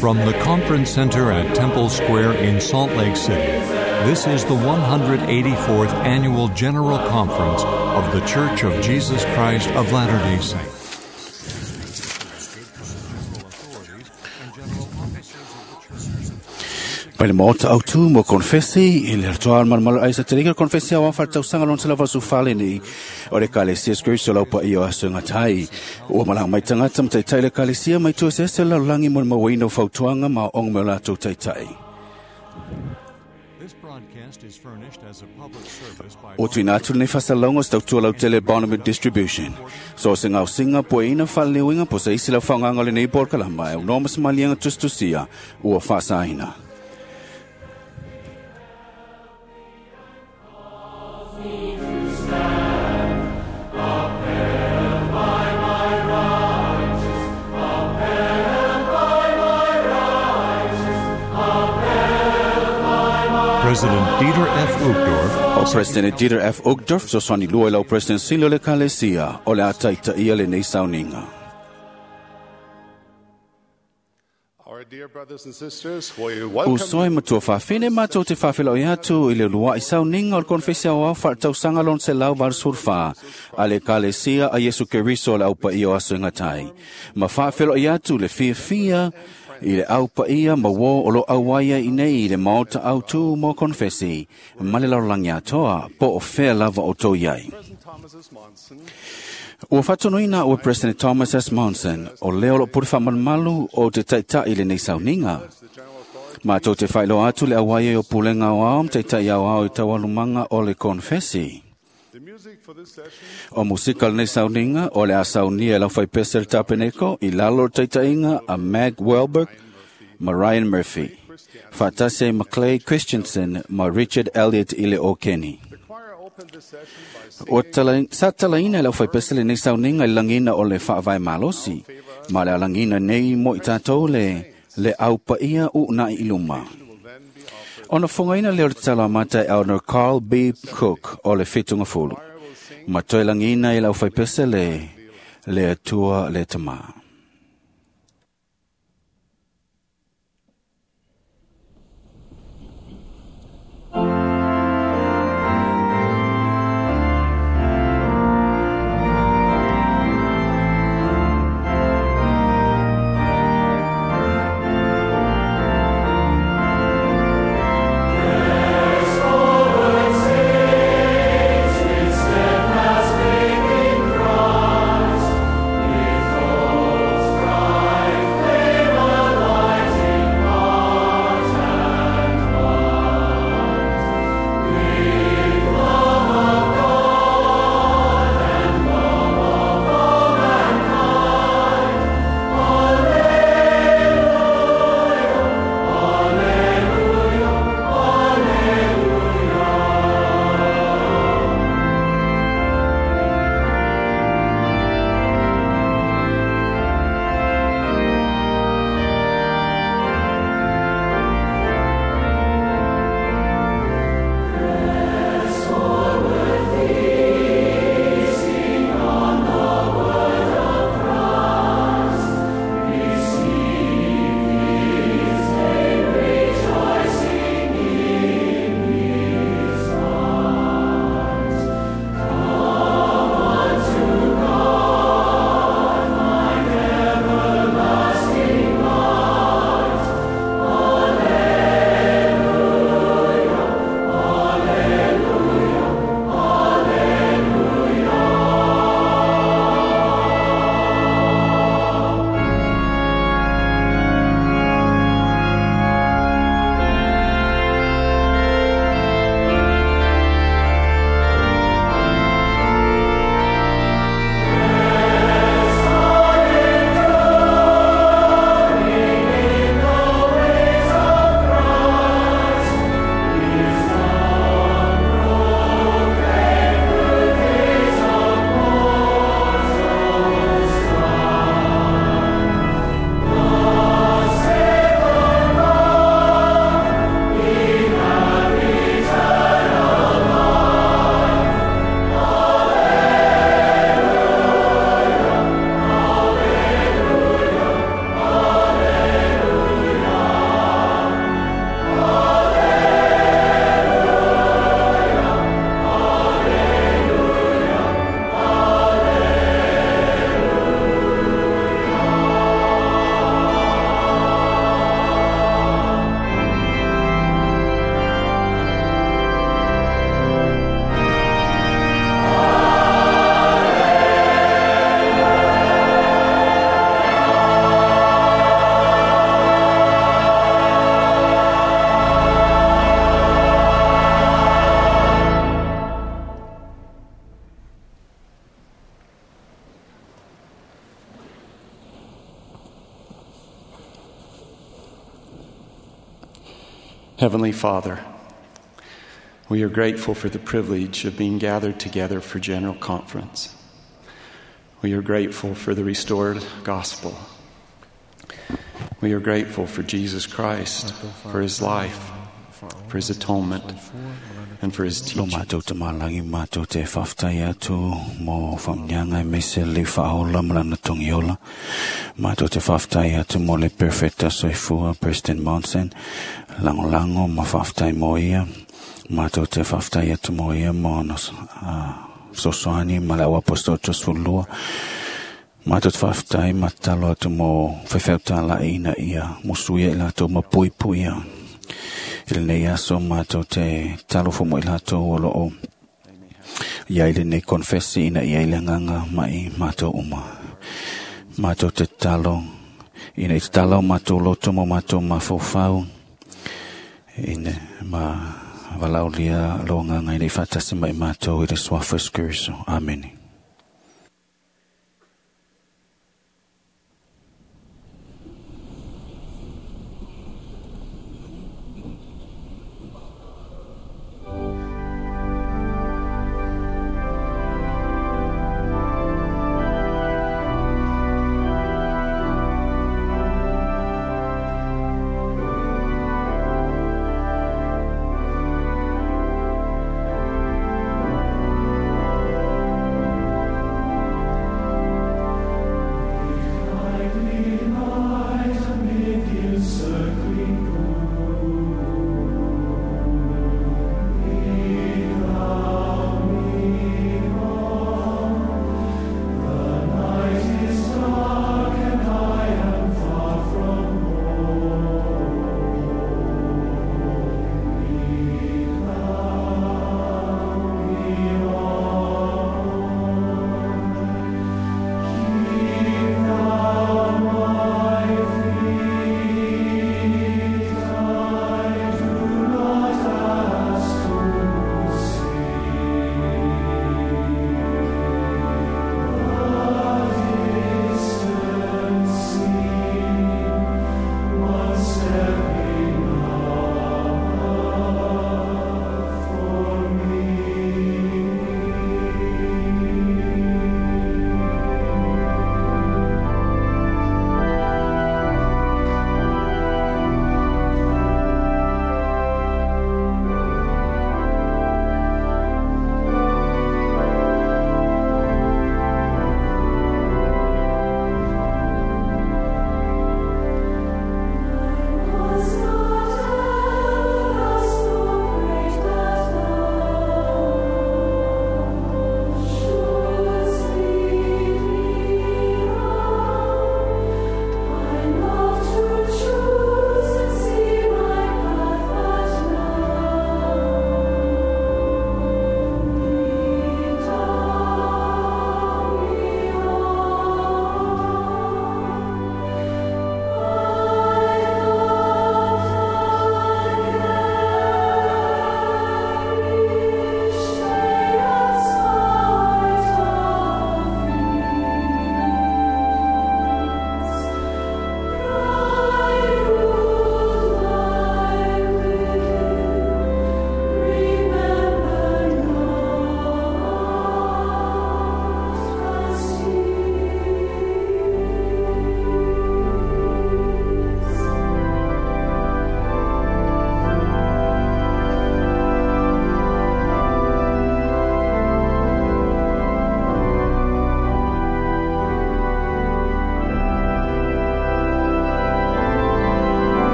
From the Conference Center at Temple Square in Salt Lake City, this is the 184th Annual General Conference of The Church of Jesus Christ of Latter-day Saints. Mai le maota autu mo konfesi i le toa malmalo ai sa telika konfesi awa whaatausaga lona sela vasu fale nei o le kalesia skriso lau pa ia aso ngatai. Ua malanga mai tagata ma taitai le kalesia mai tua sese lalolagi mo le mauaina o fautuaga ma aoaoga mai o latou taitai. This broadcast is furnished as a public service by O tuina atu lenei faasalalauga o se tautua lautele Bonavent Distribution. So se gaosiga puaina faaleleuiga po se isi lau faaaogaga o lenei polokalama e aunoa ma se maliega tusitusia ua faasaina. President Dieter F. Uchtdorf, O President Dieter F. Uchtdorf, fesoasoani lua i lau President sili o le Ekalesia, o le a taitaia lenei sauniga. Our dear brothers and sisters, we welcome Uso e matua faafine matou te faafeiloai atu i le uluai sauniga o le konefesi aoao faaletausaga lona 184 a le Ekalesia a Iesu Keriso o le aupaia o aso e gatai. Ma faafeiloai atu le fiafia i le aupaia ma uō o lo auai ai nei i le maota autū mo konefesi ma le lalolagi atoa po o fea lava o tou iai. President Thomas S. Monson, Ua faatonuina ua President Thomas S. Monson o lea o loo pule faamalumalu o te taitai lenei sauniga. the General Authority, Matou te faailoa atu le auai ai o pulega aoao ma taitai aoao i taualumaga o le konefesi. the music for this session O musika lenei sauniga o le a saunia e lau faipese le tapeneko i lalo o le taitaiga a Mag Welberg ma Ryan Murphy. Faatasi ai ma Clay Christensen ma Richard Elliott i le o Kenny. The choir opened this session by O singing tala, sa talaina e lau faipese lenei sauniga i le lagina o le faavae malosi, ma le alagina nei mo i tatou le aupaia uunai i luma. will then be offered. Ona fogaina lea o le tatalo amata e Elder Carl B. Cook o le Fitungafulu. Ma toe lagina i lau faipese le Atua le Tamā. Steadfast faith in Christ, with Heavenly Father, we are grateful for the privilege of being gathered together for General Conference. We are grateful for the restored gospel. We are grateful for Jesus Christ, for his life, for his atonement, and for his Lo teaching. mātou te malangi mātou te whawhtai atu mō whamnyanga e mese le whaola malana tongiola. Mātou te whawhtai atu mō le perfecta soifua President Monson. Lango lango ma whawhtai mō ia. Mātou te whawhtai atu mō ia mō ana sosoani ma le awaposto Joseph Lua. Mātou te whawhtai ma talo atu mō whewheuta la ina ia. Musuia i lātou ma pui puia. I lenei aso mātou te talo fo mo i lātou o loo ia i lenei konfesi ina ia i le nganga mai mātou uma. Mātou te talo, ina i te talo mātou loto mo mātou mafofau, ina ma walaulia lo nganga ina i whatasi mai mātou i le suafa Kristo. Amene.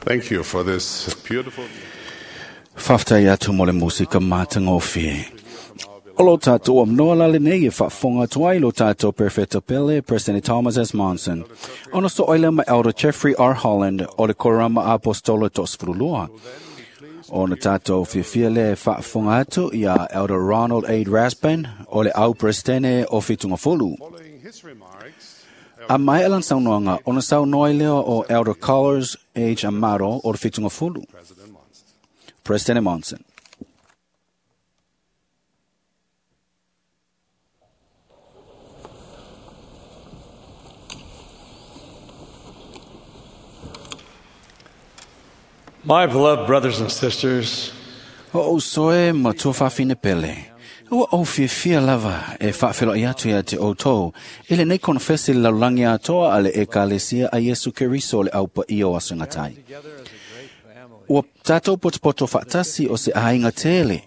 Thank you for this beautiful. Whaftai atu mo le musika mātangofie. O lo tātou amnoa la lenei e whaafonga tuai lo tātou Perfecto Pele, President Thomas S. Monson. Ono so oile ma Elder Jeffrey R. Holland o le Korama Apostolo Tosfurulua. Ona tātou whiwhia le whaafonga atu ia Elder Ronald A. Rasband o le au Presidente o Whitungafulu. Following his remarks, A mai alan saunoanga, ona saunoa i leo o Elder Carlos H. Amaro o le Whitungafulu. President Monson. President Monson. My beloved brothers and sisters, O o soe ma tua whawhine pele. Ua au whiawhia lava e whawhelo i atu ia te outou. I le nei konfesi le laulangi atoa a le ekalesia a Yesu Keriso le aupa i o asungatai. Ua tātou potopoto whaatasi o se ahinga tele.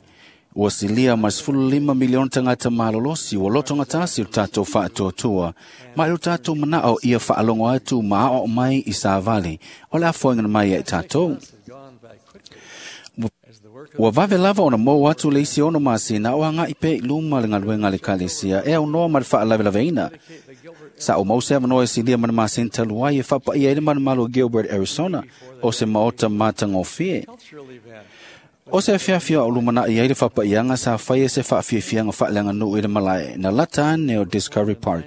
Ua silia mai 15 miliona tangata malolosi ua loto ngatasi o tātou whaatuatua. Mai o tātou manao ia whaalongo atu maa o mai i sāvali. O le afoinga mai e tātou. Ua vave lava ona mou atu le isi ono masina o anga i pe i luma le ngaluenga le kalesia e au noa ma le whaalavelave Sa o mause avanoa e silia mana masina taluai e whapa ia i le manumalo Gilbert, Arizona, o se maota matangofie. O se afiafia o lumana i ai le whapaianga sa whai e se whaafiafianga whaaleanga nuu i le malae na lata ane o Discovery Park.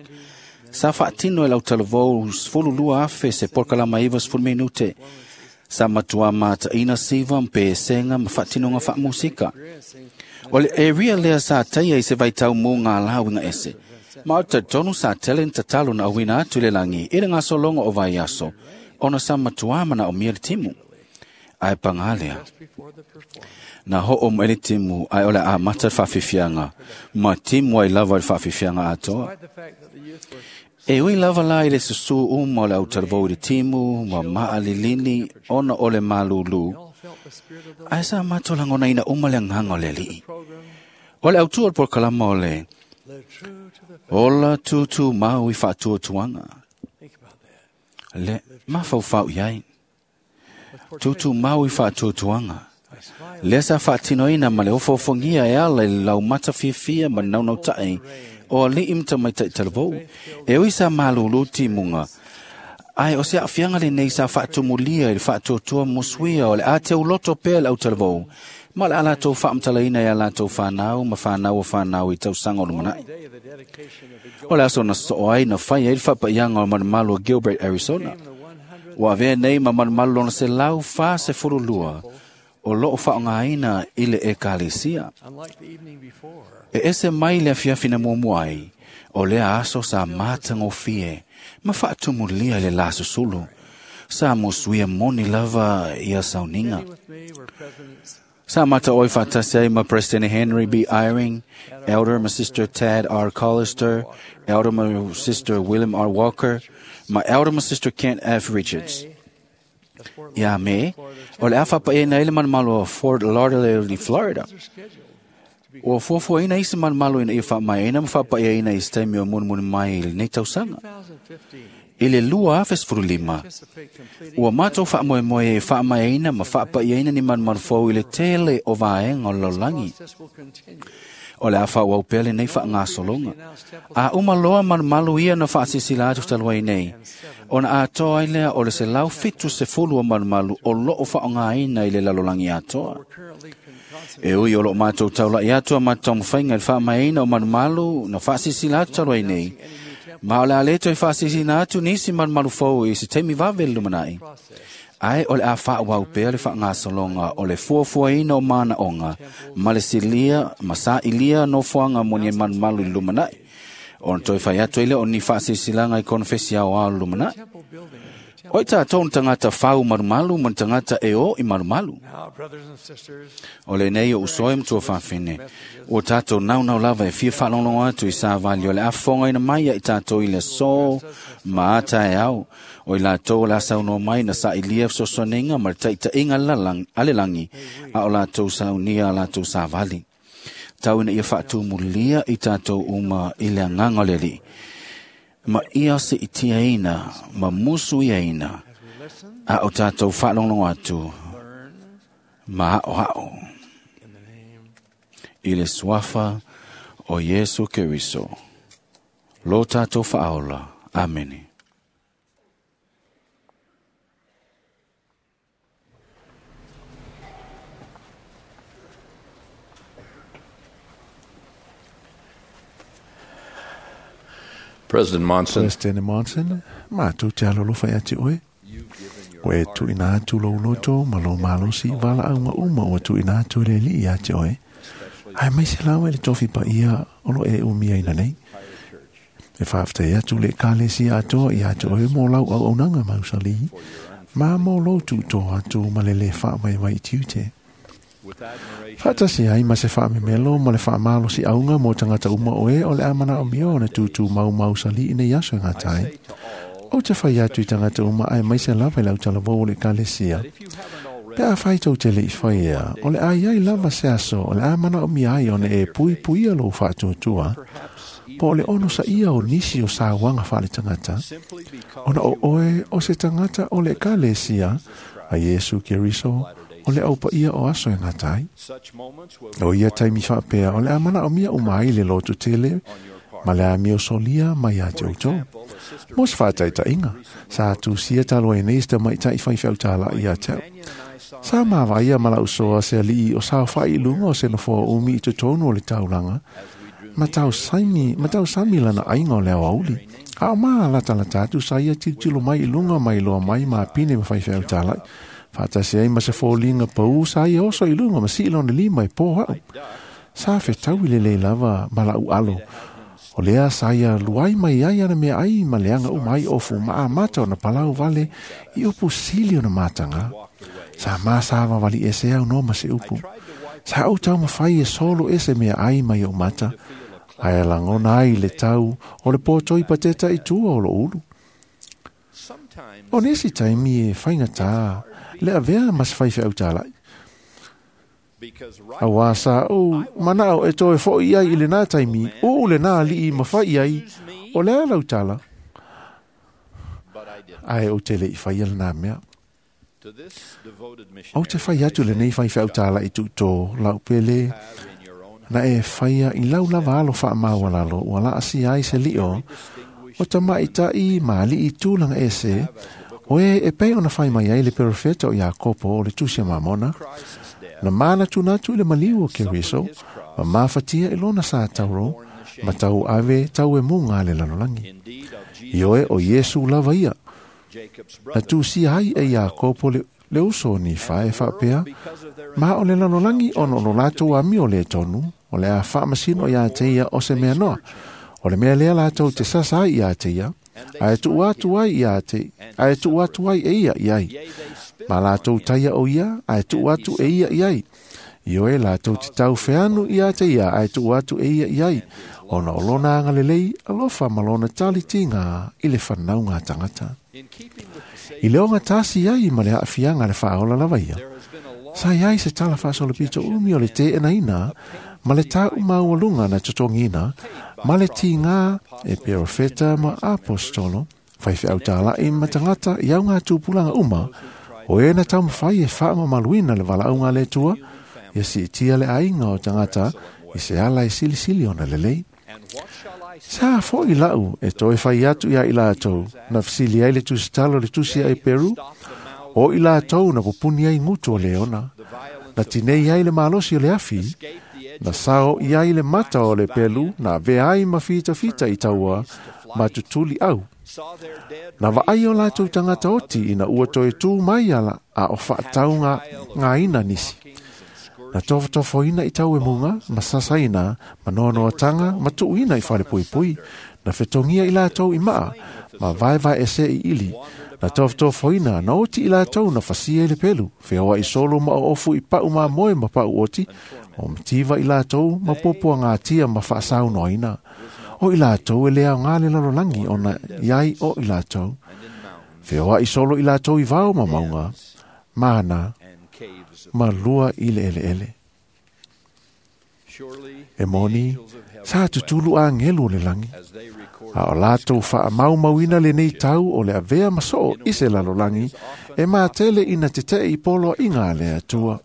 Sa whaatino e lau talavou 12 afe se porkalama iwa 10 minute. Sa matua mata ina siva mpe senga ma whaatinonga whaamusika. O le area lea sa taia i se vaitau mō ngā lawinga ese. Ma o tonu sa tele ni tatalo na awina atu le langi i le ngā solongo o vai aso. Ona sa matua mana o mia le timu. Ai pangalea. Na ho o mo timu ai ole a mata whawhiwhianga. Ma timu ai lava i whawhiwhianga atoa. E ui lava la i le susu uma o le autalvou i le timu, ma maalilini, ona o le malulu. Ai sa mato langona ina uma le nganga o le alii. O le autua o le polokalama o le ola tūtū mau i whaatuatuanga. Le mafaufau i ai. Tūtū mau i whaatuatuanga. Lea sa whaatinoina ma le ofofongia e ala i lau mata fiafia ma naunau tae o alii mta mai tai talavou. E ui sa malulu timunga. Ai o se afianga le nei sa whaatumulia i le whaatuatua musuia o le a te uloto pea le au talavou. Ma le ala tau whaamtalaina e ala tau whanau ma whanau o whanau i tau sanga o lumanai. O le aso na so ai na whai ai le whapaianga o manumalu o Gilbert, Arizona. Ua avea nei ma manumalu lona se lau wha se furulua o loo whaongaina i le ekalesia. E ese mai le afiafina muamua ai, o lea aso sa matagofie, ma faatumulia le la susulu. Sa musuia moni lava ia sauniga. Sa mata oi whaatasi ai ma President Henry B. Eyring, Elder ma Sister Tad R. Collister, Elder ma Sister William R. Walker, ma Elder ma Sister Kent F. Richards. Ia me, o le awhapa e na ele manumalo o Fort Lauderdale, Florida. Ua fuafuaina isi manumalo ina ia faamaeaina ma faapaiaina i se taimi o munumunu mai i lenei tausaga. I le 2015, ua matou faamoemoe e faamaeaina ma faapaiaina ni manumalu fou i le tele o vaega o le lalolagi. O le a faaauau pea lenei faagasologa. A uma loa malumalu ia na faasilasila atu talu ai nei, ona atoa ai lea o le 170 o malumalu o loo faaaogaina i le lalolagi atoa. E ui o loo matou taulai atu a matou taumafaiga i le faamaeaina o malumalu na faasilasila atu talu ai nei, ma o le a le toe faasilasila atu nisi malumalu fou i se taimi vave le lumanai. Ai o le a faaauau pea le faagasologa o le fuafuaina o manaoga ma le silia ma sailia nofoaga mo ni malumalu i le lumanai. Ona toe fai atu ai lea o ni faasilasilaga i konofesi aoao le lumanai. O i tātou na tagata fau malumalu ma na tagata e o i malumalu. O lenei o usoe ma tuafafine. Ua tātou naunau lava e fia faalogologo atu i savali o le afofogaina mai ia i tātou i le aso ma ata e ao. O i latou o le a saunoa mai na sailia fesoasoaniga ma le taitaiga a le lagi a o latou saunia a latou savali. Tau ina ia faatumulia i tātou uma i le agaga o le alii. Ma ia seitiaina ma musuiaina. A o tātou whaalongo atu, ma o hao. I le suafa o Yesu Keriso. Lo tātou whaaola. Amene. President Monson. President Monson, mātou te alolofa ia te oe. O e tuina atu lou loto ma lou malosi vala aunga uma o tuina atu le li ia te oe. Ai mai se lawa i le tofi pa ia olo e umia ina nei. E whaaftai atu le kalesi atoa ia te oe mō lau au aunanga mausali. Ma mō lou tūtō atu ma le le wha mai vai tiute. Whaatasi ai ma se whaamemelo ma le whaamalosi aunga mō tangata uma oe o le amana o mio na tūtū mau mausali ina iaso ngā tai. O te whai atu i tangata uma ai mai se lava i lau talavou o le kalesia. Pe a whai tau te le i whai ea, o le ai ai lava se aso, o le amana o mia ai ona e pui pui a lou whaatuatua, po o le ono sa ia o nisi o sa wanga whale tangata, ona o oe o se tangata o le kalesia, a Yesu Keriso, o le aupa ia o aso e ngā tai. O ia taimi whaapea, o le amana o mia umai le lotu tele, ma le amio solia mai a te outou. Mo se whaataitainga, sa atu sia talo e nei sta mai tai whai whautala i a tau. Sa māwaia ma lau soa se alii o sao whai lunga o se nofoa umi i totonu o le taulanga, ma tau sami lana ainga o leo auli. A o maa lata lata atu sa ia tilotilo mai i lunga mai loa mai ma pine ma whai whautala. Whaatasi ai ma se fōlinga pau sa ia oso i lunga ma si ilona lima i pō hau. Sa whetau i lele lava ma lau alo. O lea sa ia luai mai ai ana mea ai ma leanga umai ofu ma a mata o na palau vale i upu sili o na matanga. Sa māsāwa wali ese au no ma se upu. Sa au tau mawhai e solo ese mea ai mai o mata. Ai langona ai le tau o le pōtoi pateta i tua o lo ulu. O nesi taimi e whaingata le avea mas whai whai autalai. A wā sa o manao e toe fo i ai i le nā taimi o le nā lii mawhai ai o le alau tala. Ai o te le i whai ala nā mea. O te whai atu le nei whai whai tala i tūtō lau pele na e whaia i lau lava alo wha mawalalo ua la asi ai se lio o ta maitai ma li i tūlanga ese o e e pei ona whai mai ai le perofeta o Iakopo o le tusia mamona na mana tūnatu i le maliu o Keriso ma mafatia i lona sa tauro ma tau ave tau e munga le lalolangi. I oe o Yesu lava ia. Na tūsia ai e Iakopo le uso ni whae whaapea, ma o le lalolangi ono lo lātou ami o le tonu, o le a whaamasino i a teia o se mea noa. O le mea lea lātou te sasa ai i a teia, a e tuu atu ai i a te, a e tuu atu ai e ia i ai. Ma lātou taia o ia, a e tuu atu e ia i ai. I oe lātou te tau wheanu i a te ia, a e tuu atu e ia i ai. Ona o lona angalelei, alofa ma lona tali tinga i le whanau ngā tangata. I leonga tasi ai ma le aafianga le whaola lava ia. Sa iai se tala whaasolo pito umi o le te ena ina, ma le tā umaualunga na totongina, ma le tinga e perofeta ma apostolo, whai whiautala i matangata i au ngā tūpulanga uma, o e na taumawhai e whaama maluina le walaunga le tua, ia si tia le ainga o tangata i se ala e silisili ona lelei. Sa fo i lau e toe whai atu ia i lātou, na whasili ai le tusitalo le tusi ai Peru, o i lātou na pupuni ai ngutu o leona, na tinei ai le malosi o le afi, na sao i ai le mata o le pelu, na vea ai ma fita fita i taua, ma tutuli au. Na vaai o lātou tangata oti ina ua toe tū mai ala a o whaatau ngā ina nisi. Na tofotofoina i tau e munga, ma sasaina, ma noanoatanga, ma tuuina i whare pui pui, na whetongia i lātou i maa, ma vaevae ese i ili, na tofotofoina, na oti i lātou na whasia i le pelu, whioa i solo ma o ofu i pau mā moe ma pau oti, o mativa i lātou ma popoa ngā tia ma whaasau noaina. O i lātou e lea ngā le lalolangi o na iai o i lātou. Whioa i solo i lātou i vao ma maunga, mana, ma lua i le ele ele. E moni, sa tutulu agelu o le lagi, a o latou faamaumauina lenei tau o le avea ma soo i se lalolagi e matele ina teteʻe i poloaiga a le Atua.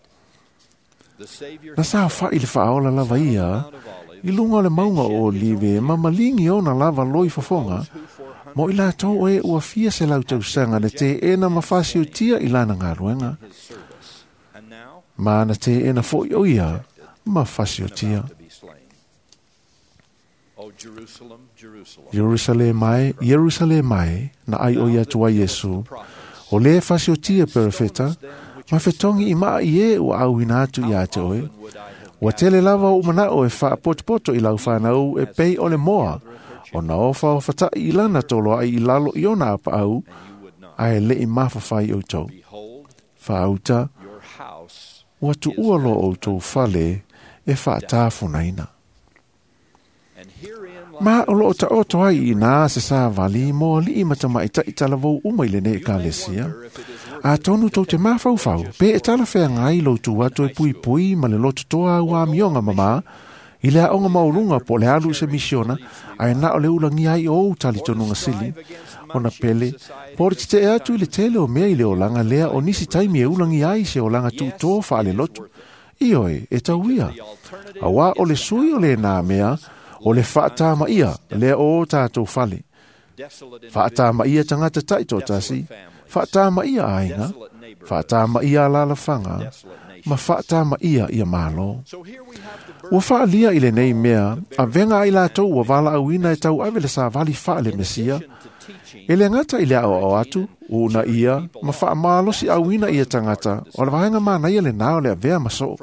Na saofaʻi le faaola lava ia i luga o le mauga o Olive ma maligi ona lava loi fofoga mo i latou e ua fia se lau tausaga na teena ma fasiotia i lana galuega. Ma na teena foʻi o ia ma fasiotia. Ierusalema e, Ierusalema e, na ai o ia atu ai Iesu, o le fasiotia perefeta, ma fetogi i maa i e ua auina atu ia te oe. Ua tele lava o manao e faapotopoto i lau whanau e pei o le moa, o na ofa o fatai i lana tolo ai i lalo i ona apaau, ae le i mafawhai o tau. Whaauta, ua tuua lo o tau fale e whaatafunaina. Ma o loo ta oto ai i nā se sā vali mo alii matamaitaʻi talavou uma i lenei ekalesia. Atonu tou te mafaufau, pe e talafeagai ai lou tu atu e puipui ma le lototoa au amioga mamā, i le aoga maualuga po o le alu i se misiona, ae na o le ulagia ai o ou talitonuga sili, ona pele, po o le teteʻe atu i le tele o mea i le olaga lea o nisi taimi e ulagia ai se olaga tuutō faalelotu. Ioe, e tauia. Auā o le sui o lenā mea, o le faatamaia lea o o tatou fale. Faatamaia tagata taitoatasi, faatamaia aiga, faatamaia alalafaga, ma faatamaia ia Malo. Ua faalia i lenei mea, avega ai latou ua valaauina e tauave le savali faale-Mesia, e le gata i le aoao atu, uuna ia, ma faamalosi auina ia tagata, o le vaega manaia lenā o le avea ma soo.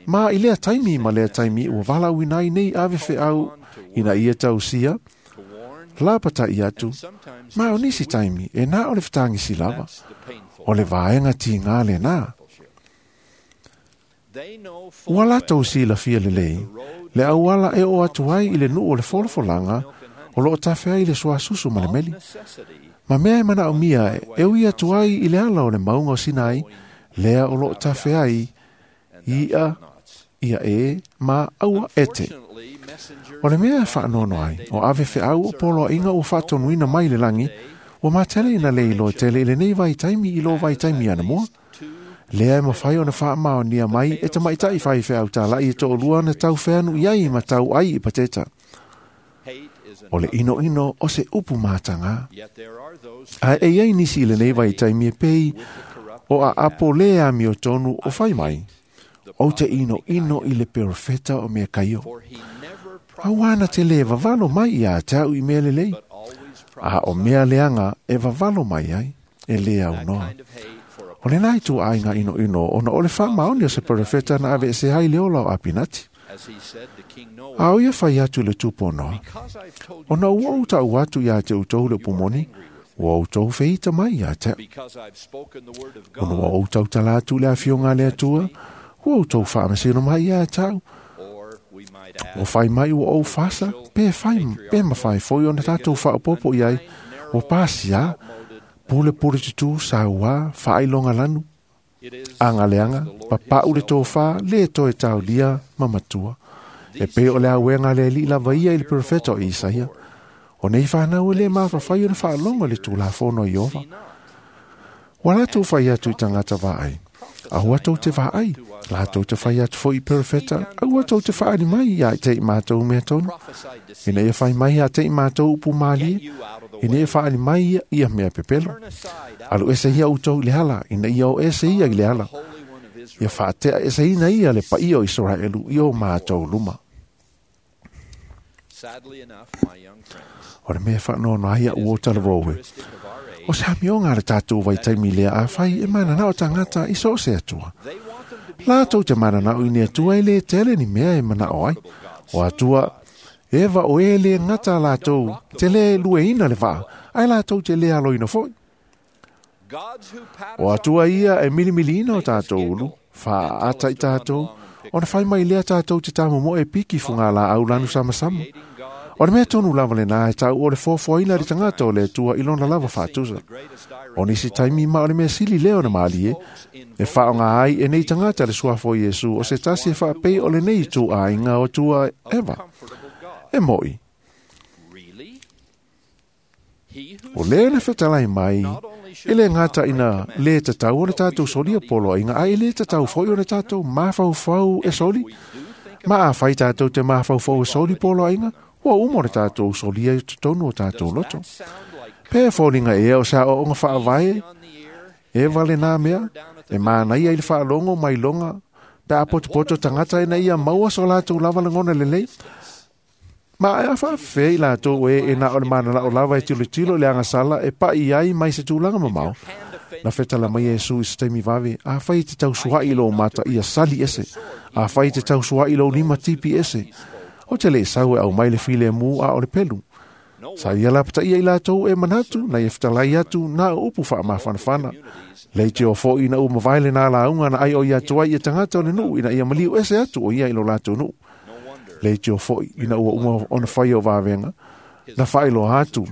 Ma i lea taimi ma lea taimi ua valaauina ai nei ave feau ina ia tausia, lapataʻi atu, ma o nisi taimi e na o le fetagisi lava, o le vaega tigā lenā. Ua latou silafia lelei, le auala e oo atu ai i le nuu o le folafolaga, o loo tafe ai le suasusu ma le meli. Ma mea e manaomia e ui atu ai i le ala o le mauga o Sinai, lea o loo tafe ai i'a ia e ma aua ete. O le mea e faanoano ai, o ave feau o poloaiga ua faatonuina mai le lagi, ua matele ina le iloa tele i lenei vaitaimi i lo vaitaimi anamua. Lea e mafai ona faamaonia mai e tamaitaʻi faifeau talaʻi e toalua na tau feanu i ai ma tau ai i pateta. O le inoino o se upu matagā. Ae e iai nisi i lenei vaitaimi e pei o aapo le amio tonu o fai mai. Ou te inoino i le perofeta o mea kaio. Auā na te le vavalo mai ia te au i mea lelei. A o mea leaga e vavalo mai ai, e le aunoa. O lenā ituaiga inoino ona o le faamaoni o se perofeta na aveese ai le ola o Apinati. A o ia fai atu i le tupu o Noa. Ona ua ou taʻu atu iā te outou le upu moni, ua outou feita mai iā te au. Ona ua ou tautala atu i le afioga a le Atua, ua outou faamasino mai iā te au. Ua fai mai ua ou fasa, pe fai, pe mafai foi ona tatou faaopoopo i ai, ua pasiā, pulepule tutū sauā, faailoga lanu, agaleaga, papaʻu le tofā, lē toe taolia ma matua. E pei o le auega a le alii lava ia i le perofeta o Isaia. O nei whanau e le mawhawhai o le whaalongo le tūlafono i Ova. Ua latou fai atu i tagata vaai. Aua tou te vaai, latou te fai atu foi i perofeta, aua tou te faali mai ia te i mātou mea tonu. Ina ia fai mai ia te i mātou upu mālie, ina ia faali mai ia ia mea pepelo. Alu ese ia outou i le ala, ina ia o ese ia i le ala. Ia faatea eseina ia le paia o Israelu i o mātou luma. O le mea faanoano ai a'u o talavou e. O se amioga a le tatou vaitaimi lea afai e mananao tagata i so o se Atua. Latou te mananao i ni Atua e lē tele ni mea e manao ai. O Atua, e va o e lē gata latou te lē lueina le vaa, ae latou te lē aloina foi. O Atua ia e milimiliina o tatou ulu, faaata i tatou, ona fai mai lea tatou te tamomoe e piki fugalaau lanu samasama. O le mea tonu lava lenā e tau o le foafoaina le tagata o le Atua i lona lava faatusa. O nisi taimi ma o le mea sili lea ona malie, e faaaoga ai e nei tagata le suafa o Iesu o se tasi e faapei o lenei ituaiga o Atua Eva. E mo'i. O lea na fetalai mai, e le gata ina lē tatau ona tatou solia poloaiga, ae e lē tatau foi ona tatou mafaufau e soli. Ma afai tatou te mafaufau e soli poloaiga, ua uma ona tatou solia i totonu o tatou loto. Pe foliga ea o se aoaoga faavae e vale nā mea, e manaia i le faalogo mai loga, pe a potopoto tagata ina ia maua so latou lava lagona lelei. Ma e a faafefea i latou e e na o le manalao lava e tilotilo i le agasala e pa'i ai mai se tulaga mamao. Na fetala mai Iesu i se taimi vave, afai e te tausua'i i lou mata ia sali ese, afai e te tausua'i i lou lima tipi ese. O te le sau e aumai le filemu a o le pelu. Sa ia lapataia i latou e manatu, na ia fetalai atu na o upu faamafanafana. Lei te o fo'i ina ua mavae lenā lauga na ai o ia atu ai ia tagata o le nuu ina ia maliu ese atu o ia i lo latou nuu. Lei te o fo'i ina ua uma ona faia o vavega, na faailoa atu,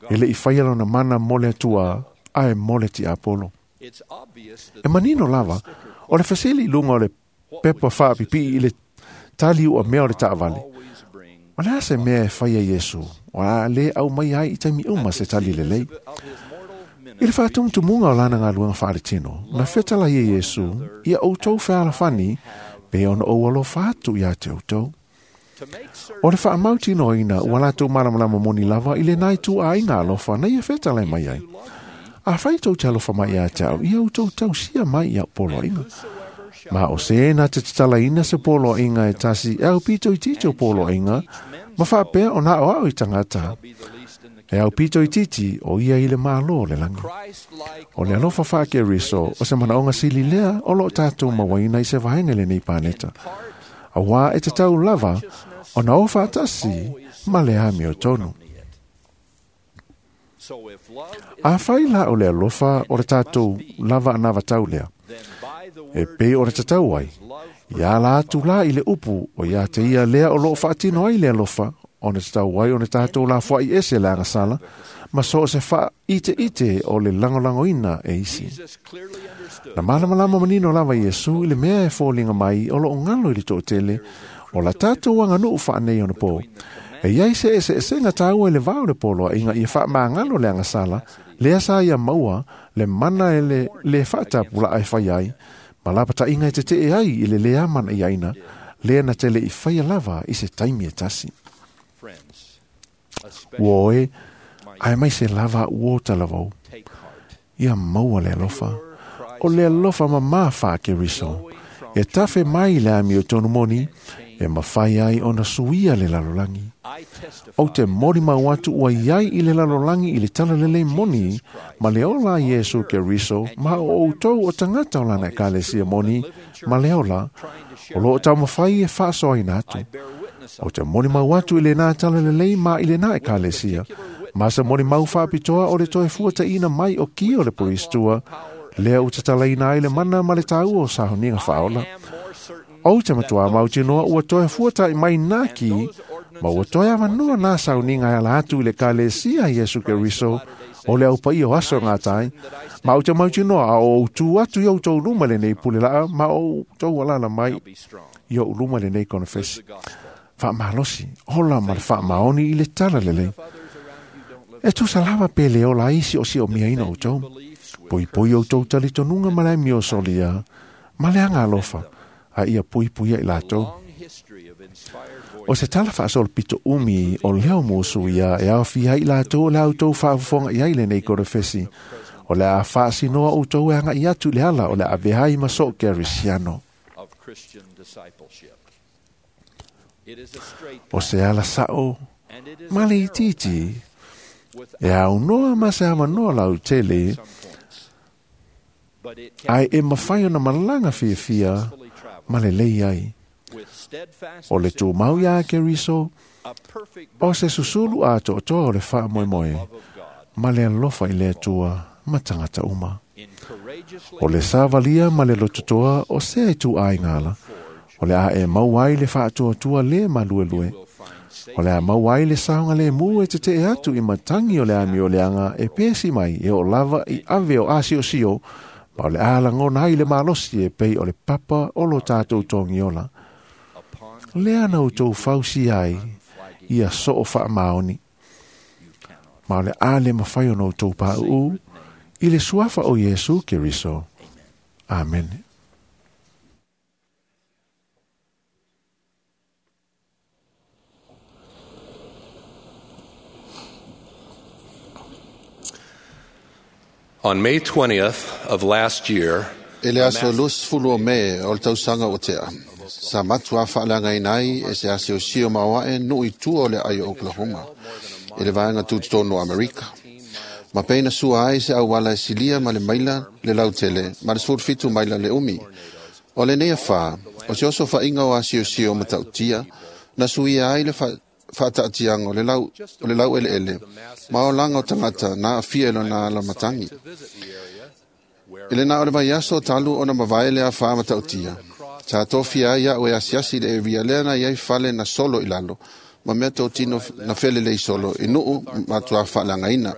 e le'i faia lona mana mo le Atua, ae mo le tiapolo. E manino lava, o le fesili i luga o le pepa faapipii i le tali ua mea o le taavale. O le a se mea e faia Iesu, o a lē aumai ai i taimi uma se tali lelei. I le faatumutumuga o lana galuega faaletino, na fetalai e Iesu, ia outou fealofani, pe ona ou alofa atu iā te outou. O le faamautinoaina ua latou malamalama moni lava i lenā ituaiga alofa na ia fetalai mai ai. Afai tou te alofa mai iā te au, ia outou tausia mai i au poloaiga. Ma o se na te tatalaina se poloaiga e tasi e aupito itiiti o poloaiga, ma faapea ona aoao i tagata. E aupito itiiti o ia i le Malo o le lagi. O le alofa faa-Keriso o se manaoga sili lea o loo tatou mauaina i se vaega i lenei paneta. Auā e tatau lava ona o faatasi ma le amiotonu. Afai la o le alofa o le tatou lava anavatau lea, e pei o le tatau ai, ia ala atu la i le upu o ia te ia lea o loo faatino ai le alofa, ona tatau ai ona tatou lafoai ese le agasala, ma so o se faaiteite o le lagolagoina e isi. Na malamalama manino lava Iesu i le mea e foliga mai o loo galo i le toatele o la tatou aganuu faanei ona po. E iai se eseesega taua i le va o le poloaiga ia faamagalo le agasala, lea sa ia maua le mana e le lē faatapulaa e fai ai, ma lapataiga e tetee ai i le lē amanaiaina, lea na te le'i faia lava i se taimi e tasi. Ua oe, ae mai se lava ua o talavou. Ia maua le alofa. O le alofa mamā faa-Keriso, e tafe mai i le amiotonu moni, e mafai ai ona suia le lalolagi. Ou te molimau atu ua iai i le lalolagi i le talalelei moni, ma le ola a Iesu Keriso, ma o outou o tagata o lana ekalesia moni, ma le ola, o loo taumafai e faasoaina atu. Ou te molimau atu i lenā talalelei ma i lenā ekalesia, ma se molimau faapitoa o le toe fuataina mai o ki o le Polistua, lea ua tatalaina ai le mana ma le taua o sauniga faaola. Ou te matuā mautinoa ua toe fuata'i mai nā ki, ma ua toe avanoa nā sauniga e ala atu i le ekalesia a Iesu Keriso o le aupaia o aso e gata ai. Ma ou te mautinoa a o ou tu atu i outou luma i lenei pule laa, ma o outou alaala mai i o'u luma i lenei konefesi. Faamalosi, ola ma le faamaoni i le tala lelei. E tusa lava pe le ola ai si'osi'omiaina outou. Puipui outou talitonuga ma le amio solia, ma le aga alofa, a ia puipuia i latou. O se tala faasolopito umi o leo musu ia e aofia ai i latou o le a outou faafofoga i ai lenei konefesi, o le a faasinoa outou e aga'i atu i le ala o le a avea ai ma soo Kerisiano. O se ala sa'o ma le itiiti e aunoa ma se avanoa lautele, ae e mafai ona malaga fiafia ma lelei ai. O le tumau iā Keriso, o se susulu atoatoa o le faamoemoe ma le alofa i le Atua ma tagata uma. O le savalia ma le lototoa o sea ituaiga ala, o le a e maua ai le faatuatua lē maluelue. O le a maua ai le saogalemu e tete'e atu i matagi o le amioleaga e pesi mai e oo lava i ave o asiosio ma o le a lagona ai le malosi e pei o le papa o lo tatou togiola. Lea na outou fausia ai ia soo faamaoni. Ma o le a le mafai ona outou pauu i le suafa o Iesu Keriso. Amene. On May 20th of last year, E le aso 20 o Me o le tausaga o tea. Sa matu a whaalanga ai e se ase o sio maoae nui tua o le ai o Oklahoma. E le vaenga tutotonu o Amerika. Ma peina sua ai se auala e silia ma le maila le lautele ma le 17 maila le umi. O le nea wha, o se oso whainga o asiosio ma tautia, na suia ai le whaataatianga o le lau ele ele, ma o langa o tangata na awhia e lona ala matangi. Ele na o le vaiaso o talu o na mavae le a wha matautia. Sa tofia ai au e asiasi le e ria lea na iai fale na solo i lalo, ma mea tō tino na fele lei solo i nuu matua whaalangaina.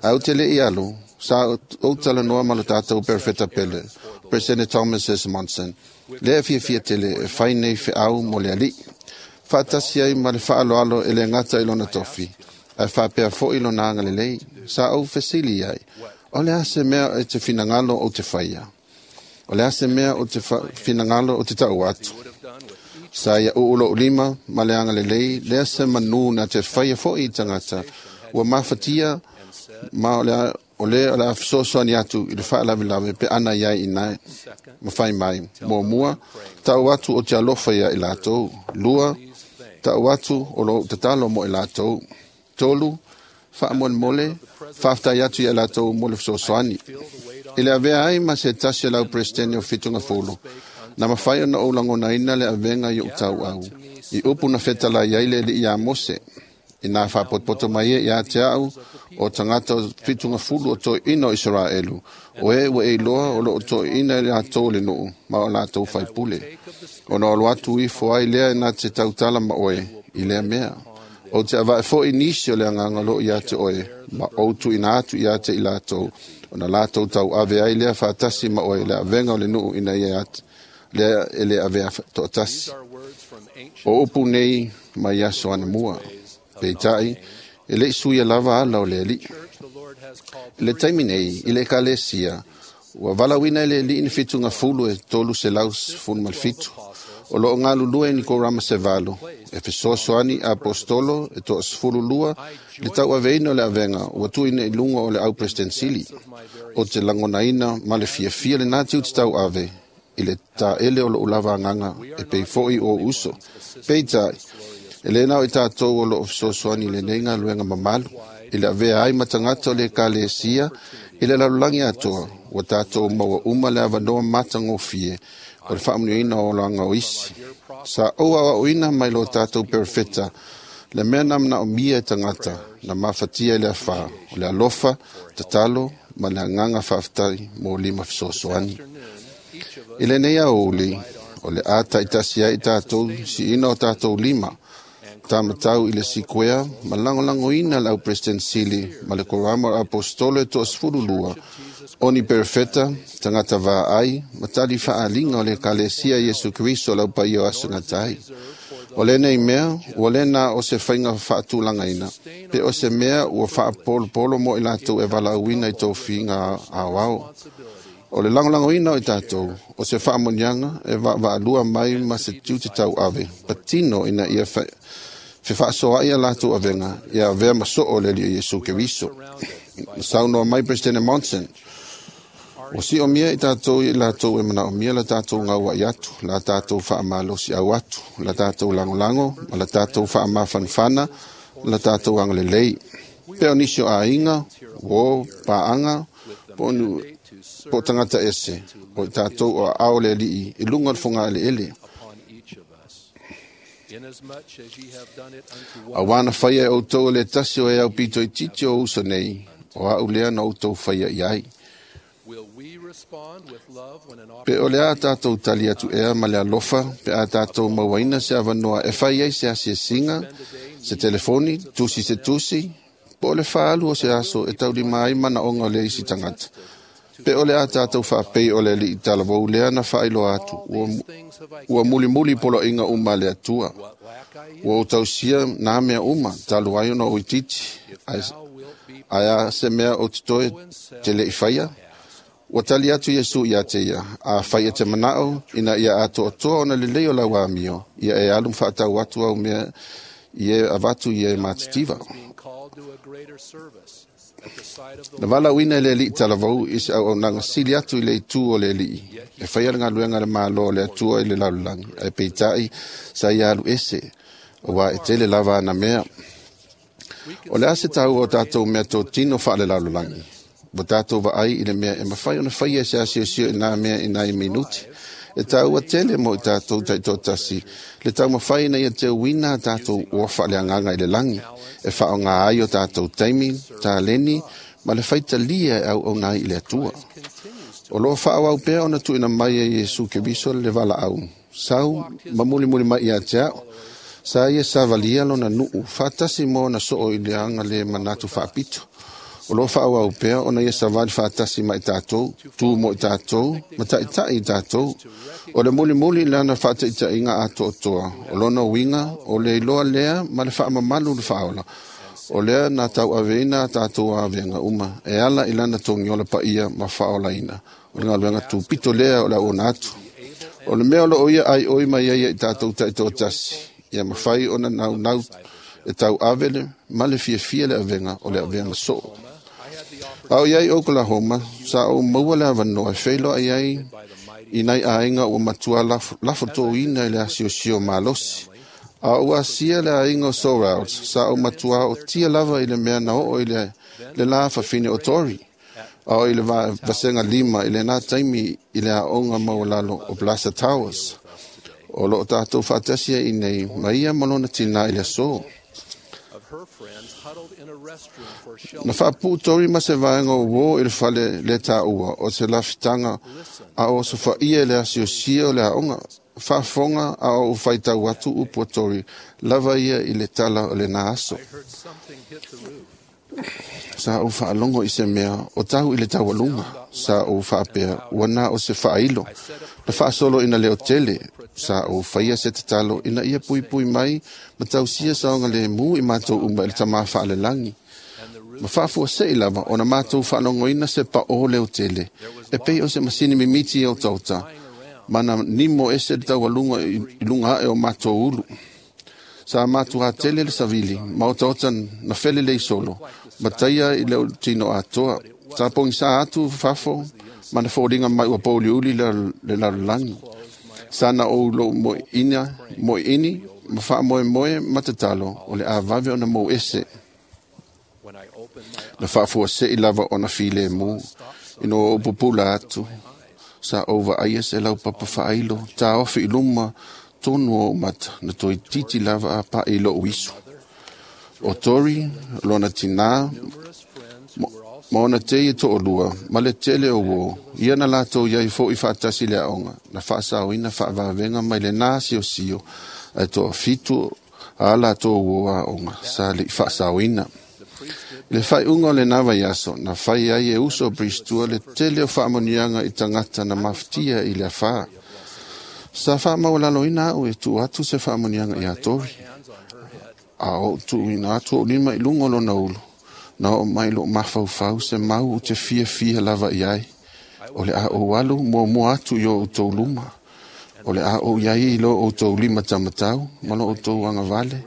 Au te le i alu, sa o talanoa ma lo tātou perfeta pele, President Thomas S. Monson, lea fia fia tele e whai nei wheau mo le ali. Whaatasi ai ma le whaaloalo e le ngata i lona tofi, a whaapea fo i lona anga lelei, sa au fesili ai, o le ase mea e te finangalo o te whaia. O le ase mea o te finangalo o te tau atu. Sa ia uulo ulima, ma le anga lelei, lea se manu na te whaia fo i tangata, ua mafatia, ma o le o le awhisosoani atu i le whaalawilawe pe ana iai i nai. Mawhai mai, mua mua, tau atu o te alofa ia i lātou. Lua, tau atu o lo tatalo mo i lātou. Tolu, whaamolemole, whaaftai atu ia lātou mo le whisosoani. I le avea ai ma se tasi lau presidente o whitunga folo. Na mawhai ona o langona ina le avenga i o tau au. I upu na whetala iai le li ia Mose. I nā whapotpoto mai e ia te au o tangata o whitunga fulu o toi ina o Israelu. O e ua e iloa o lo o toi ina le atou le nuu, ma o lātou whaipule. O na olo atu i foai lea nā te tautala ma oe, i lea mea. O te awae fo i nisi o le anganga lo ia te oe, ma o tu ina atu ia te i lātou. O na lātou tau ave ai lea whaatasi ma oe le avenga o le nuu ina ia atu, lea e le avea toatasi. O upu nei mai aso ana mua. Peitai, e le suia lava ala o le ali. Le taimi nei, i le ekalesia, ua valauina e le ali'i ni whitunga fulu e 317. O loo galulue ni korama se valo, e fesoasoani apostolo e 12 le tauaveina o le avega ua tuuina i luga o le au presidensili. O te lagonaina ma le fiafia lenā tiute tauave i le taele o lou lava agaga e pei fo'i o uso. Peitai, e le nao i tātou o loo fesoasoani lenei galuega mamalu, i le avea ai ma tagata o le ekalesia i le lalolagi atoa, ua tātou maua uma le avanoa matagofie o le faamanuiaina o laga o isi. Sa ou aoaoina mai lo tātou perfeta, le mea na manaomia e tagata, na mafatia i le afā, o le alofa, tatalo, ma le agaga faafetai mo lima fesoasoani. I lenei aoauli, o le a taitasi ai tātou siina o tātou lima, tamatau i le sikuea, ma lagolagoina le au president sili, ma le korama o apostolo e 12, o ni perfeta, tagata vaai, ma tali faaliga o le ekalesia Iesu Keriso lau paia o aso gatai. O lenei mea, ua le na o se faiga faatulagaina, pe o se mea ua faapolopolo mo i latou e valaauina i tofiga aoao. O le lagolagoina o i tātou, o se faamoniaga e vaavaalua mai ma se tiute tauave, patino ina ia fefaasoa'i a latou avega, ia avea ma soo le Alii o Iesu Keriso. Saunoa mai President Monson, o si o mia i tātou i latou e manaomia la tātou gaua'i atu, la tātou faamalosi au atu, la tātou lagolago, ma la tātou faamafanafana, la tātou agalelei. Pe o nisi o aiga, uō, paaga, po o po tangata ese, o i tātou o ao le alii, i lunga o le foga eleele. A wana whaia e outou le tasi o e au pito i titi o uso nei, o au lea na outou whaia i ai. Pe o le a tātou tali atu ea ma le alofa, pe a tātou mauaina se avanoa e fai ai se asiasiga, se telefoni, tusi se tusi, po o le faalu o se aso e taulima ai manaoga o le isi tagata. Pe o le a tātou faapei o le alii talavou lea na faailoa atu, ua mulimuli poloaiga uma a le Atua. Ua ou tausia nā mea uma, talu ai ona ou itiiti, ae a se mea ou te toe te le i faia? Ua tali atu Iesu ia te ia, a fai e te manao, ina ia atoatoa ona lelei o lau amio, ia e alu ma faatau atu au mea i e avatu i e matitiva. Na valaauina e le alii talavou i se auaunaga sili atu i le itu o le alii, e faia le galuega a le Malo o le Atua i le lalolagi, ae peitai sa ia alu ese, auā e tele lava ana mea. O le a se taua o tātou mea totino faalelalolagi? Ua tātou vaai i le mea e mafai ona faia e se asiosio i nā mea i nai minuti. E taua tele mo i tātou taitoatasi, le taumafai ina ia teuina a tātou ua faaleagaga i le lagi, e faaaoga ai o tātou taimi, taleni, ma le faitalia e auauna ai i le Atua. O loo faaauau pea ona tuuina mai e Iesu Keriso le valaau, sau ma mulimuli mai ia te au. Sa ia savalia lona nuu, faatasi mo ona soo i le aga le manatu faapito. O loo faaauau pea ona ia savali faatasi ma i tātou, tu mo i tātou, ma taʻitaʻi i tātou. O le mulimuli i lana faataʻitaʻiga atoatoa, o lona uiga, o le iloa lea ma le faamamalu le faaola. O lea na tauaveina a tātou avega uma, e ala i lana togiola paia ma faaolaina. O le galuega tupito lea o le auona atu. O le mea o loo ia aioi mai ai i tātou taitoatasi, ia mafai ona naunau e tauave le ma le fiafia le avega o le avega soo. A o iai Oklahoma, sa ou maua le avanoa e feiloai ai i nai aiga ua matua lafotōina i le asiosio malosi. A ou asia le aiga o Sorrells, sa ou matua o tia lava i le mea na oo i le la fafine o Tori. A o i le vasega 5 i lena taimi i le aoga maualalo o Plaza Towers. O loo tātou faatasi ai nei ma ia ma lona tinā i le aso. Na faapuu Tori ma se vaega o uō i le fale le tāua o se lafitaga a o sofaia i le asiosia o le aoga. Faafofoga a o ou faitau atu upu a Tori lava ia i le tala o lena aso. Sa ou faalogo i se mea o tau i le taualuga. Sa ou faapea ua na o se faailo. Na faasolo ina leo tele. Sa ou faia se tatalo ina ia puipui mai ma tausia saoga lemu i matou uma i le tamā faalelagi. Ma faafuasei lava ona matou faalogoina se paʻō leo tele. E pei o se masini mimiti e otaota. Ma na nimo ese le taualuga i luga ae o matou ulu. Sa matuā tele le savili, ma otaota na felelei solo, ma taia i le tino atoa. Sa pogisā atu fafo, ma na foliga mai ua pouliuli le lalolagi. Sa na ou lou moeini, ma faamoemoe ma tatalo, o le avave ona mou ese. Na faafuasei lava ona filemu, ina ua ou pupula atu. Sa ou vaaia se laupapa faailo, taofi i luma, tonu o mata, na toeitiiti lava a paʻi i loʻu isu. O Tori, lona tinā, ma ona tei e toʻalua, ma le tele o uō, ia na latou iai foʻi faatasi le aoga, na faasaoina faavavega mai lenā siosio, ae toafitu a latou uō aoga, sa leʻi faasaoina. I le faaiuga o lenā vaiaso, na fai ai e uso o Bristua le tele o faamanuiaga i tagata na mafatia i le afā. Sa faamaualaloina au e tuu atu se faamanuiaga iā Tori. A ou tuuina atu ou lima i luga o lona ulu, na oo mai loo mafaufau se mau ou te fiafia lava i ai. O le a ou alu muamua atu i o outou luma. O le a ou iai i lo outou lima tamatau ma lo outou agavale.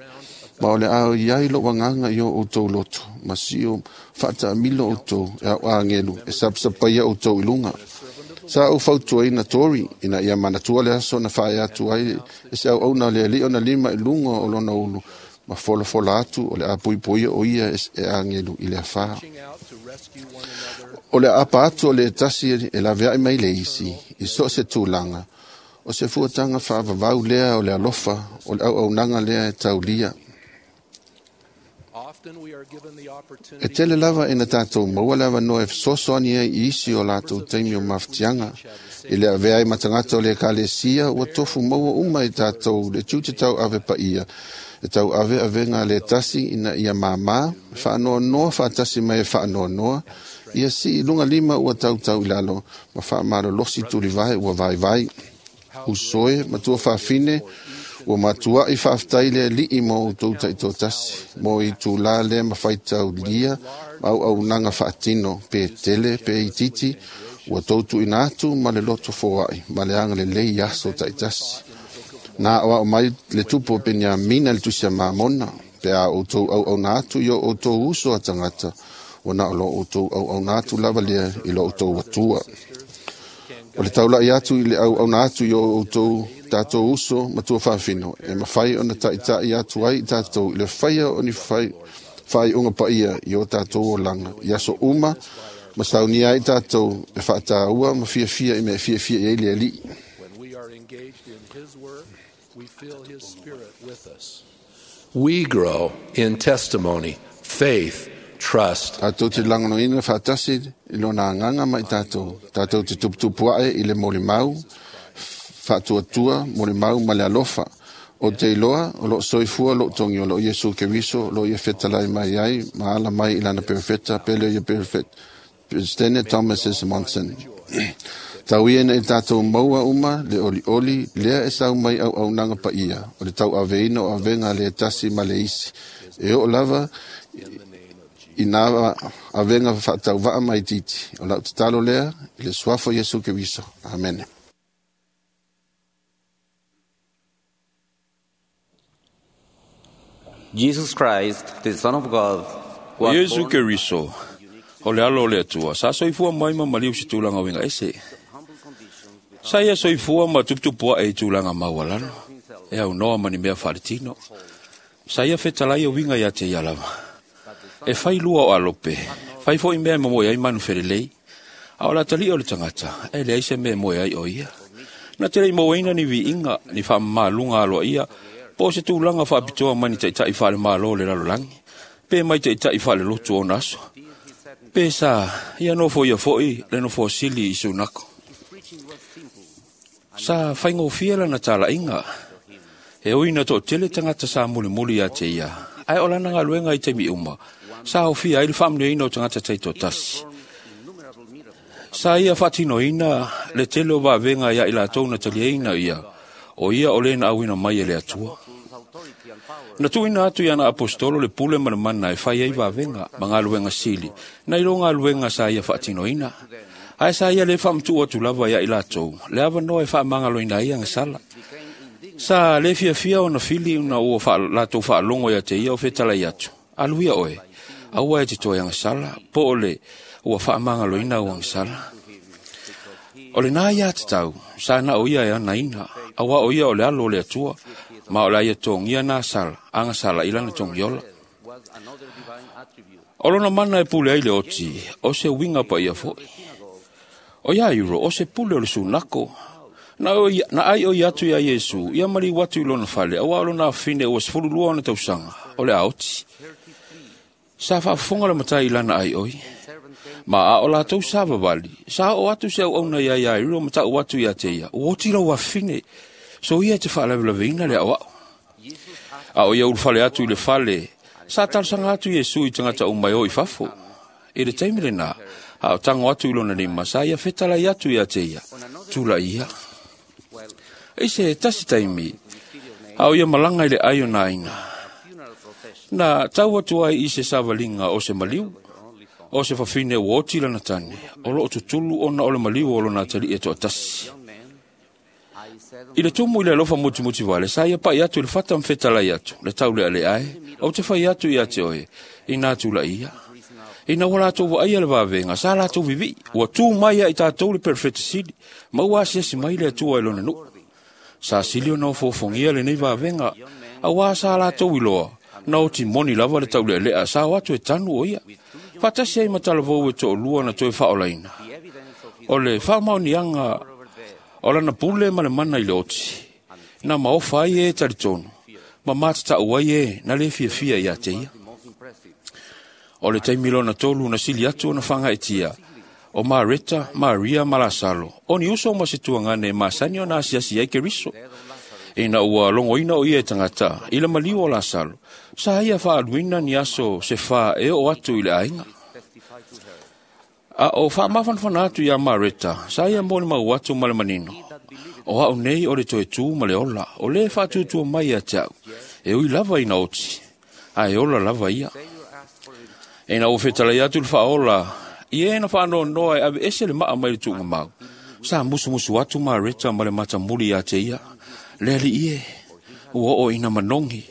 Ma o le a iai lou agaga i o outou loto, ma sio faataamilo outou e au agelu e sapasapaia outou i luga. Sa ou fautuaina Tori ina ia manatua le aso na faaea atu ai e se auauna o le alii ona lima i luga o lona ulu, ma folafola atu o le a puipuia o ia e agelu i le afā. O le aapa atu o le tasi e laveai mai le isi, i so o se tulaga, o se fuataga faavavau lea o le alofa, o le auaunaga lea e taulia. E tele lava ina tātou maua le avanoa e fesoasoani ai i isi o latou taimi o mafatiaga. I le avea ai ma tagata o le ekalesia, ua tofu maua uma i tātou le tiute tauave paia, e tauave avega le tasi ina ia māmā, faanoanoa faatasi mai e faanoanoa, ia sii i luga lima ua tautau i lalo, ma faamalolosi tulivae ua vaivai. Uso e, matua faafine, ua matuai faafetai le Alii mo outou taitoatasi, mo itulā lea ma faitaulia ma auaunaga faatino, pe tele pe itiiti, ua tou tuuina atu ma le loto foai ma le agalelei i aso taitasi. Na aoao mai le tupu o Peniamina i le tusi a Mamona, pe a outou auauna atu i o outou uso a tagata, ua na o lo outou auauna atu lava lea i lo outou Atua. O le taulai atu i le auauna atu i o outou tātou uso matua faafino, e mafai ona taita'i atu ai i tātou i le faia o ni faaiuga paia i o tātou olaga i aso uma, ma saunia ai tātou e faataua ma fiafia i mea e fiafia i ai le Alii. When we are engaged in His work, we feel His Spirit with us. We grow in testimony, faith, trust. Tātou te lagonoina faatasi i lona agaga ma i tātou. Tātou te tuputupu ae i le molimau, faatuatua, molimau ma le alofa. O te iloa, o loo soifua loo togi o loo Iesu Keriso, o loo ia fetalai mai ai, ma ala mai i lana perofeta, pele ia perofeta, Presidente Thomas S. Monson. Tau ia ina i tātou maua uma le olioli, lea e sau mai auaunaga paia, o le tauaveina o avega le tasi ma le isi. E oo lava i nā avega faatauvaa ma itiiti. O lau tatalo lea, i le suafa o Iesu Keriso. Amene. Jesus Christ, the Son of God, O was Iesu born Keriso, o le alo o le Atua, sa soifua mai ma maliu se tulaga uiga ese. Sa ia soifua ma tuputupuaʻe i tulaga maualalo, e aunoa ma ni mea faaletino. Sa ia fetalai o uiga ia te ia lava. E fai lua o alope, fai foʻi mea e momoe ai manu felelei. A o le atalii o le tagata, e leai se mea e moe ai o ia. Na te lei mauaina ni viiga, ni faamamaluga aloaia, po o se tulaga faapitoa mai ni taitaʻi faale-mālō o le lalolagi, pe mai taitaʻi faalelotu o ona aso. Pe sa ia nofo ia foʻi le nofoa sili i sunako. Sa faigofie lana talaiga, e ui na toatele tagata sa mulimuli ia te ia, ae o lana galuega i taimi uma, sa aofia ai le faamanuiaina o tagata taitoatasi. Sa ia faatinoina le tele o vavega ia i latou na taliaina ia, o ia o le na auina mai e le Atua. Na tuuina atu i ana apostolo le pule ma le mana e fai ai vavega ma galuega sili, nai lo galuega sa ia faatinoina. Ae sa ia le faamatuu atu lava ia i latou, le avanoa e faamagaloina ai agasala. Sa le fiafia ona fili ona ua latou faalogo ia te ia o fetalai atu. Alu ia oe, aua e te toe agasala, po o le ua faamagaloina au agasala. O lena ia tatau, sa na o ia e anaina, auā o ia o le alo o le Atua, ma o le a ia togia na sala, agasala i lana togiola. O lona mana e pule ai le oti, o se uiga paia foʻi. O ia iro, o se pule o le sunako. Na ai o i atu ia Iesu, ia maliu atu i lona fale, auā o lona afine ua 12 ona tausaga, o le a oti. Sa faafofoga le matai i lana ai oi. Ma a o latou sa vavali, sa oo atu se auauna ia Iairo ma ta'u atu ia te ia, ua oti lau afine, so ia e te faalavelaveina le aoao. A o ia ulufale atu i le fale, sa talosaga atu Iesu i tagata uma e o i fafo. I le taimi lenā, a o tago atu i lona lima, sa ia fetalai atu ia te ia, tula'i ia. I se tasi taimi, a o ia malaga i le ai o nā aiga, na tau atu ai i se savaliga o se maliu, o se fafine ua oti lana tane, o loo tutulu ona o le maliu o lona atalii e toatasi. I le tumu i le alofa mutimuti vale, sa ia paʻi atu i le fata ma fetalai atu, le taulealea e, ou te fai atu ia te oe, inā tulaʻi ia. Ina ua latou vaaia le vavega, sa latou vivii, ua tu mai ia i tatou le perofeta sili, ma ua asiasi mai le Atua i lona nuu. Sa sili ona ofoofogia lenei vavega, auā sa latou iloa, na oti moni lava le taulealea sa o atu e tanu o ia. Faatasi ai ma talavou e toalua na toe faaolaina. O le faamaoniaga o lana pule ma le mana i le oti, na maofa ai e talitonu, ma matatau ai e na le fiafia ia te ia. O le taimi lona tolu na sili atu ona fagaetia, o Mareta, Maria ma Lasalo, o ni uso ma se tuagane e masani ona asiasi ai Keriso. Ina ua logoina o ia e tagata i le maliu o Lasalo, sa ia faaluina ni aso se fā e oo atu i le aiga. A o faamafanafana atu iā Mareta, sa ia molimau atu ma le manino, o au nei o le toe tū ma le ola, o lē faatuatua mai ia te au, e ui lava ina oti, ae ola lava ia. Ina ua fetalai atu le faaola, i e na faanoanoa e aveese le maa mai le tuugamau, sa musumusu atu Mareta ma le matamuli iā te ia, le alii e, ua oo ina manogi,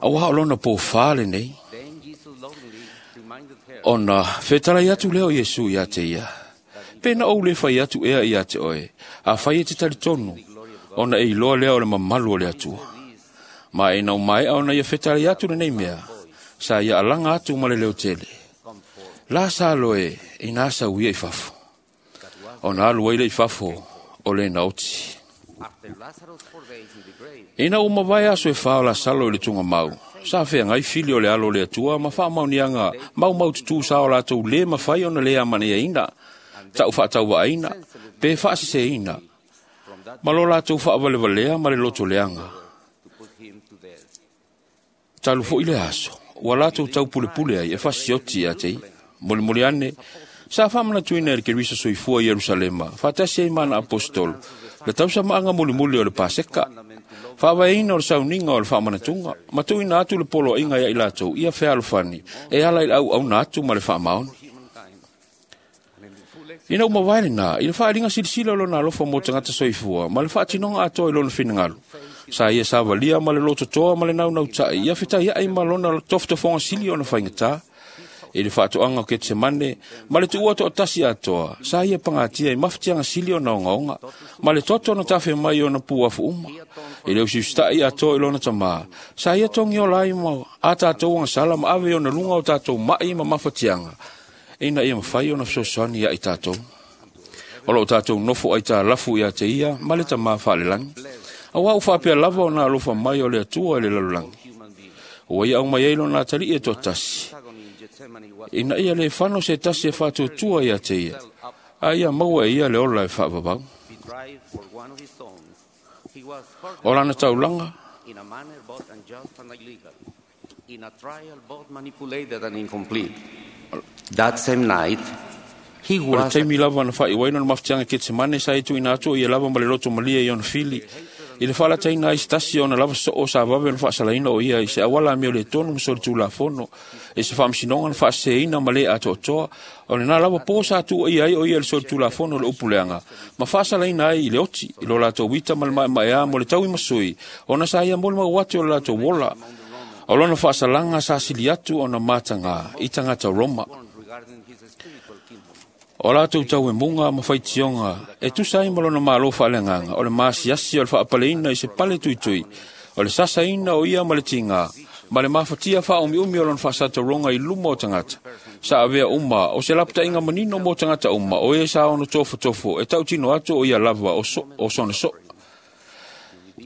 auā o lona pōfā lenei. Ona fetalai atu lea o Iesu iā te ia, pe na ou le fai atu ea iā te oe, afai e te talitonu, ona e iloa lea o le mamalu o le Atua. Ma ina ua maea ona ia fetalai atu lenei mea, sa ia alaga atu ma le leotele. Lasalo e, ina sau ia i fafo. Ona alu ai le i fafo o le naoti. Ina ua mavae aso e fā o Lasalo i le tugamau, sa feagai fili o le alo o le Atua ma faamaoniaga maumaututu sa o latou lē mafai ona lē amana'iaina, ta'u faatauvaaina, pe faaseseina, ma lo latou faavalevalea ma le lotoleaga. Talu fo'i le aso, ua latou taupulepule ai e fasioti ia te ia. Molimoli ane, sa faamanatuina e le Keriso soifua i Ierusalema, faatasi ai ma ana aposetolo, le tausamaaga mulimuli o le Paseka, faavaeina o le sauniga o le faamanatuga, ma tuuina atu le poloaiga ia i latou ia fealofani e ala i le auauna atu ma le faamaoni. Ina ua mavae lenā, i le faaaliga silasila o lona alofa mo tagata soifua ma le faatinoga atoa i lona finagalo, sa ia savalia ma le lototoa ma le naunautai ia fetaiai ma lona tofotofoga sili ona faigata. I le faatoaga o Ketsemane ma le tuua toatasi atoa, sa ia pagatia i mafatiaga sili ona ogaoga, ma le toto na tafe mai ona puafu uma. I le usiusita'i atoa i lona tamā, sa ia togiola ai ma a tatou agasala ma ave i ona luga o tatou ma'i ma mafatiaga, ina ia mafai ona fesoasoani ia i tatou. O loo tatou nofo aitalafu ia te ia ma le tamā faalelagi. Auā ua faapea lava ona alofa mai o le Atua i le lalolagi. Ua ia aumai ai lona atalii e toatasi, ina ia lē fano se tasi e faatuatua ia te ia, a ia maua e ia le ola e faavavau. O lana taulaga, o le taimi lava na faaiu ai lona mafatiaga i Ketsemane, sa ia tuuina atu o ia lava ma le loto malie i ona fili, i le faalataina ai se tasi ona lava soo sa vave ona faasalaina o ia i se auala amio le tonu ma solitulafono, i se faamasinoga na faaseseina ma lē atoatoa. O lenā lava po sa tuuaia ai o ia i le solitulafono o le upuleaga, ma faasalaina ai i le oti, i lo latou ita ma le maemaeā mo le tauimasui, ona sa ia molimau atu o le latou ola. O lona faasalaga sa sili atu ona matagā i tagata Roma. O latou tauemuga ma faitioga e tusa ai ma lona malo faaleagaga, o le maasiasi o le faapaleina i se pale tuitui, o le sasaina o ia ma le tigā, ma le mafatia faaumiumi o lona faasatauroga i luma o tagata. Sa avea uma o se lapataiga manino mo tagata uma, o e sa ono tofotofo e tautino atu o ia lava o sona soo.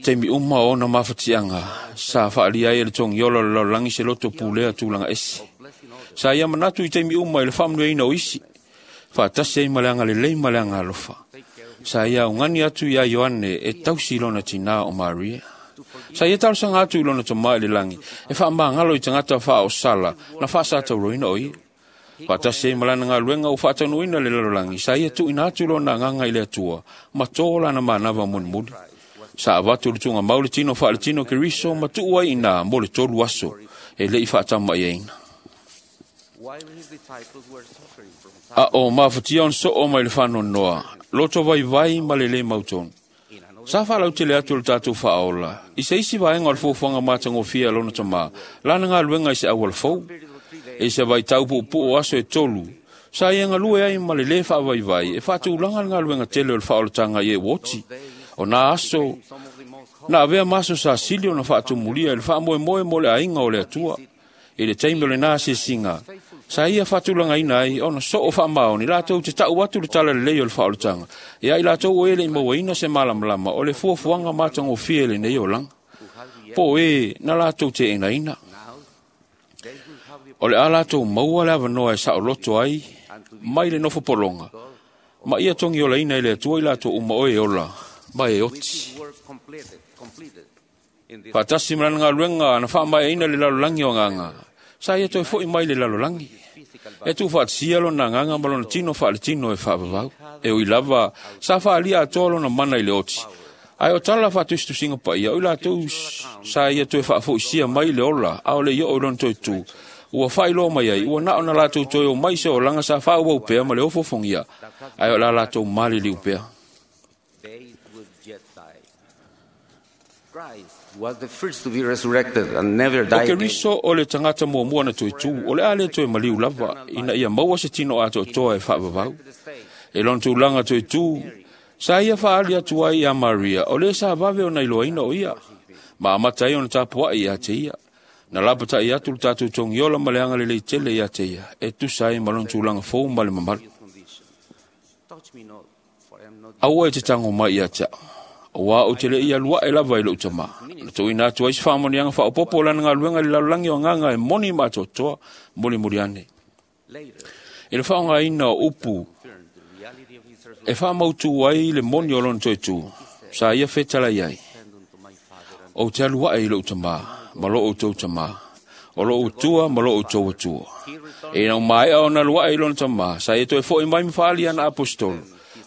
Taimi uma o ona mafatiaga, sa faalia ai e le togiola o le lalolagi se loto pulea tulaga ese. Sa ia manatu i taimi uma i le faamanuiaina o isi, faatasi ai ma le agalelei ma le agalofa. Sa ia augani atu iā Ioane e tausi i lona tinā o Maria. Sa ia talosaga atu i lona tamā i le lagi, e faamagalo i tagata faaosala na faasatauroina o ia. Faatasi ai ma lana galuega ua faataunuuina le lalolagi, sa ia tuuina atu lona agaga i le Atua, ma tō lana manava mulimuli. Sa avatu le tugamau le tino faaletino Keriso ma tuu ai inā mo le tolu aso e le'i faatamaiaina. A o mafatia ona soo mai le faanoanoa, loto vaivai ma le lē mautonu. Sa faalautele atu o le tatou faaola, i se isi vaega o le fuafuaga matagofie a lona tamā, lana galuega i se auala fou. I se vaitau puupuu o aso e tolu, sa ia galue ai ma le lē faavaivai e faatulaga le galuega tele o le faaolataga i e ua oti. O nā aso, na avea ma aso sa sili ona faatumulia i le faamoemoe mo le aiga o le Atua. I le taimi o lenā asiasiga, sa ia faatulagaina ai ona soo faamaoni latou te ta'u atu le talalelei o le faaolataga, ia i latou o e le'i mauaina se malamalama o le fuafuaga matagofie i lenei olaga, po o e na latou te'enaina. O le a latou maua le avanoa e saoloto ai mai le nofopologa, ma ia togiolaina e le Atua i latou uma o e ola ma e oti. Faatasi ma lana galuega na faamaeaina le lalolagi o agaga, sa ia toe fo'i mai le lalolagi. E tuufaatasia lona agaga ma lona tino faaletino e faavavau. E ui lava sa faaalia atoa lona mana i le oti, ae o tala faatusitusiga paia o i latou sa ia toe faafoisia mai le ola a o le i oo i lona toe tu, ua faailoa mai ai ua na o na latou toe o mai se olaga sa faaauau pea ma le ofofogia, ae o la latou maliliu pea. They would yet die. Christ was the first to be resurrected and never O die again. Keriso o le tagata muamua na toe tu, o le a le toe maliu lava, ina ia maua se tino atoatoa e faavavau. E lona tulaga toe tu, sa ia faaali atu ai ia Maria, o le sa vave ona iloaina o ia, ma amata ai ona tapuai ia te ia. Na lapatai atu le tatou togiola ma le agalelei tele ia te ia, e tusa ai ma lona tulaga fou ma le mamalu. Touch me not, for I am not Aua e te tago mai ia te au, auā ou te le i aluae lava i lou tamā. Na tuuina atu ai se faamanuiaga faaopoopo o lana galuega i le lalolagi o agaga e moni ma atoatoa mulimuli ane. I le faaaogaina o upu e faamautu ai le moni o lona toe tu, sa ia fetalai ai, ou te aluae i lou tamā ma lo outou tamā, o lou Atua ma lo outou Atua. E ina ua maea ona aluae i lona tamā, sa ia toe fo'i mai ma faaali ana aposetolo,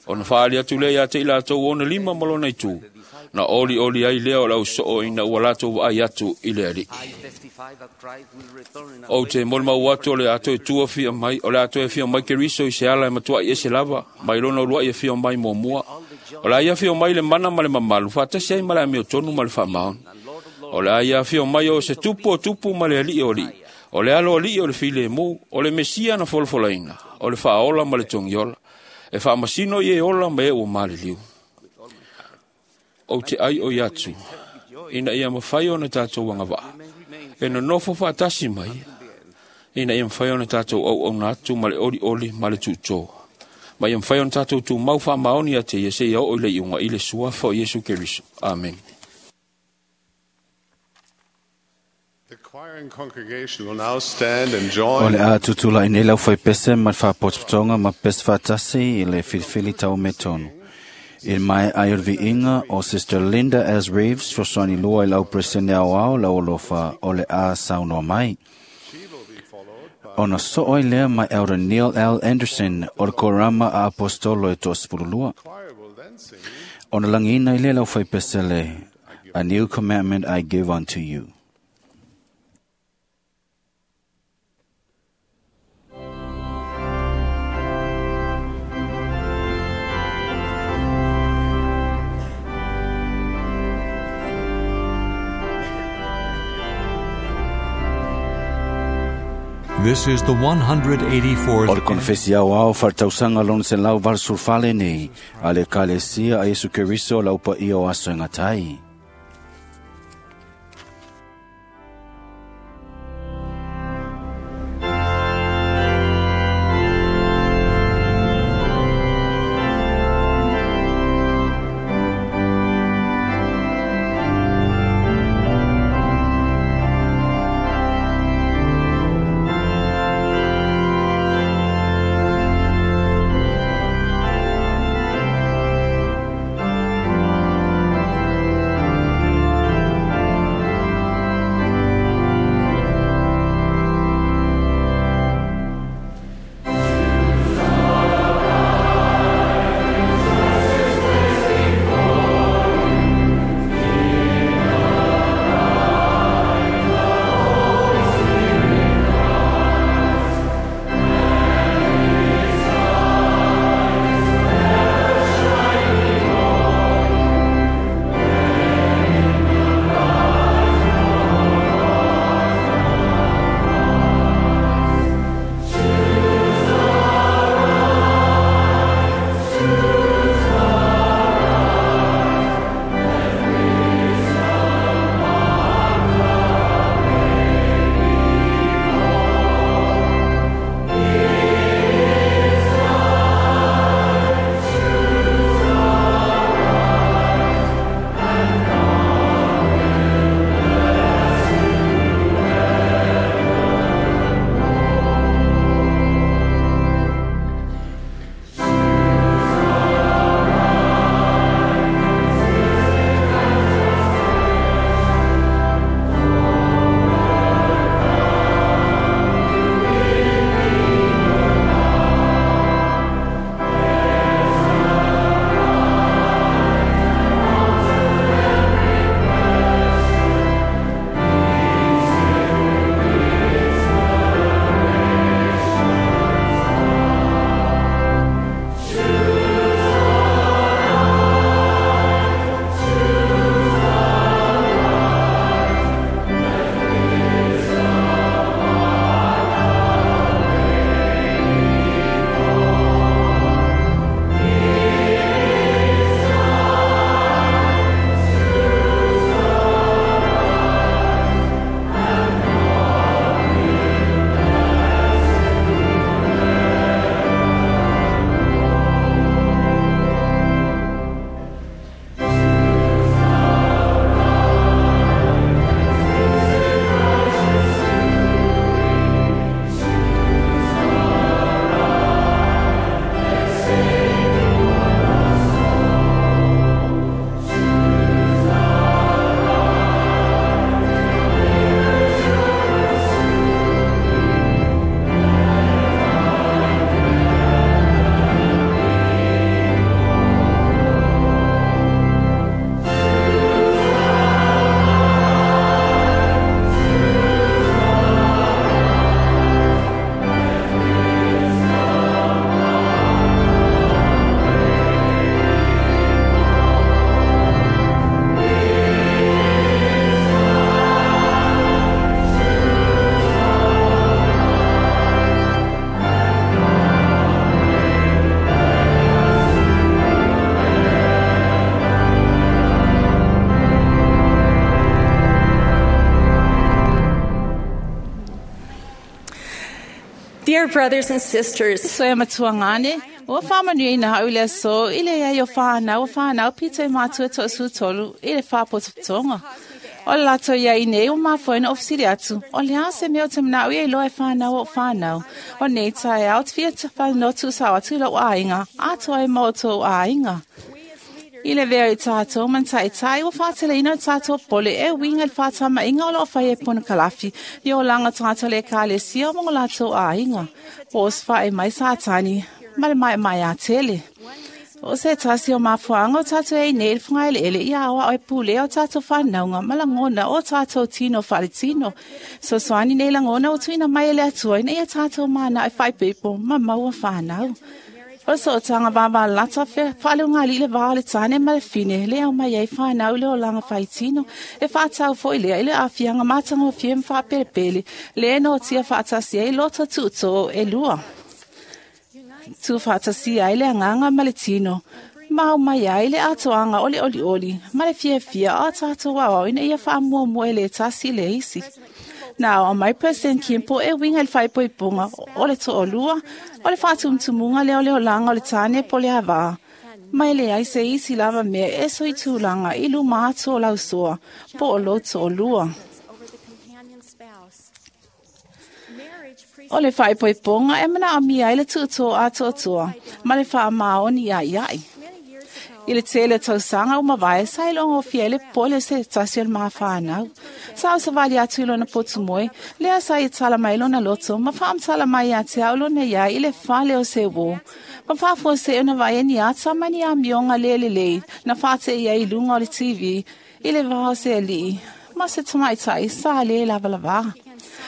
ona faaali atu lea ia te i latou ona lima ma lona itu, na olioli ai lea o le ausoo ina ua latou vaai atu i le Alii. I testify that Christ will return in a Ou te molimau atu o le a toe tua fia mai, o le a toe fia mai Keriso i se ala e matuai ese lava, mai lona uluai e fia mai muamua. O le a ia fia mai le mana ma le mamalu, faatasi ai ma le amiotonu ma le faamaoni. O le a ia afio mai o se tupu o tupu ma le alii o alii. O le alo alii o le filemu, o le Mesia na folafolaina, o le faaola ma le togiola. E faamasino i e ola ma e ua maliliu. Ou te ai o i atu, ina ia mafai ona tatou agavaa, e nonofo faatasi mai, ina ia mafai ona tatou auauna atu ma le olioli ma le tuutō. Ma ia mafai ona tatou tumau faamaoni ia te ia seia oo i le iuga i le suafa o Iesu Keriso. Amen. The choir and congregation will now stand and O join le a tutula i nei lau whaipese ma le whaapotopotonga ma pese whaatasi i le filifili tau me tonu. I mai ai o le viiga o Sister Linda S. Reeves fesoasoani lua i lau Peresetene Aoao lau alofa o le a saunoa mai. Ona soo ai lea mai Elder Neil L. Anderson o le Korama a Apostolo e toasefululua. Ona lagiina i lea lau whaipese le A New Commandment I Give Unto You. This is the 184th O le konefesi au ao whaatausaga lona se lau valusulufale nei a le Ekalesia a Iesu Keriso lau paia o aso e gatai. Dear brothers and sisters, Soe matuangane, o whamanui na au le so, i le ia o whanau, o whanau pito e mātua to sutolu, i le whāpototonga. O le lato ia i nei o mafoina o fisiri atu, o le ase mea o te mnau ia i loa e whanau o whanau. O nei tae au te fia te whanotu sao atu lau āinga, atoa e mō āinga. I le vea i tātou man tai tai o whātele ina o tātou pole e winga le whātama inga o loo whai e pono kalafi i o langa tātou le kāle sia o mongo lātou āinga. O os whae mai sātani, ma le mai mai a tele. O se tasi o mafuanga o tātou e nei le whangaele ele i awa o e pule o tātou whanaunga ma langona o tātou tino whare tino. So swani nei langona o tuina mai ele atua ina ia tātou mana e whai pepo ma maua whanau. O so tanga vava lata fe whale o ngā lile vā le tāne ma le fine le au mai ei whanau le o langa whaitino e whātau fo i lea i le awhianga mātanga o fie mwhāpere le e no tia whātasi ei lota tūtō e lua. Tū whātasi ai le anganga ma le tino. Mau mai ai le atoanga ole oli oli ma le fia fia a tātou wawau ina ia whaamua mua e le tasi le isi. Nā o mai President Kimpo e winga le whaipoiponga o le to'olua, o le whātumtumunga leo leo langa o le tāne po le hawā. Mai le ai se isi lava mea e so i tūlanga i luma atu o lausoa, po o lo to'olua. O le whaipoiponga e mana amia i le tūtō a tōtoa, ma le whaamaoni ia iai. I le tele tausanga o mawai sa i longo fia le pole se tasi o le maha whanau. Sa o savali atu i lona potu moe, lea sa i tala mai lona loto, ma whaamtala mai a te au lona ia i le whale o se wō. Ma whaafua se ona vai e ni ata mai ni a mionga lele lei, na whate ia i lunga o le TV, i le vao se alii, ma se tamaitai sa le lava lava.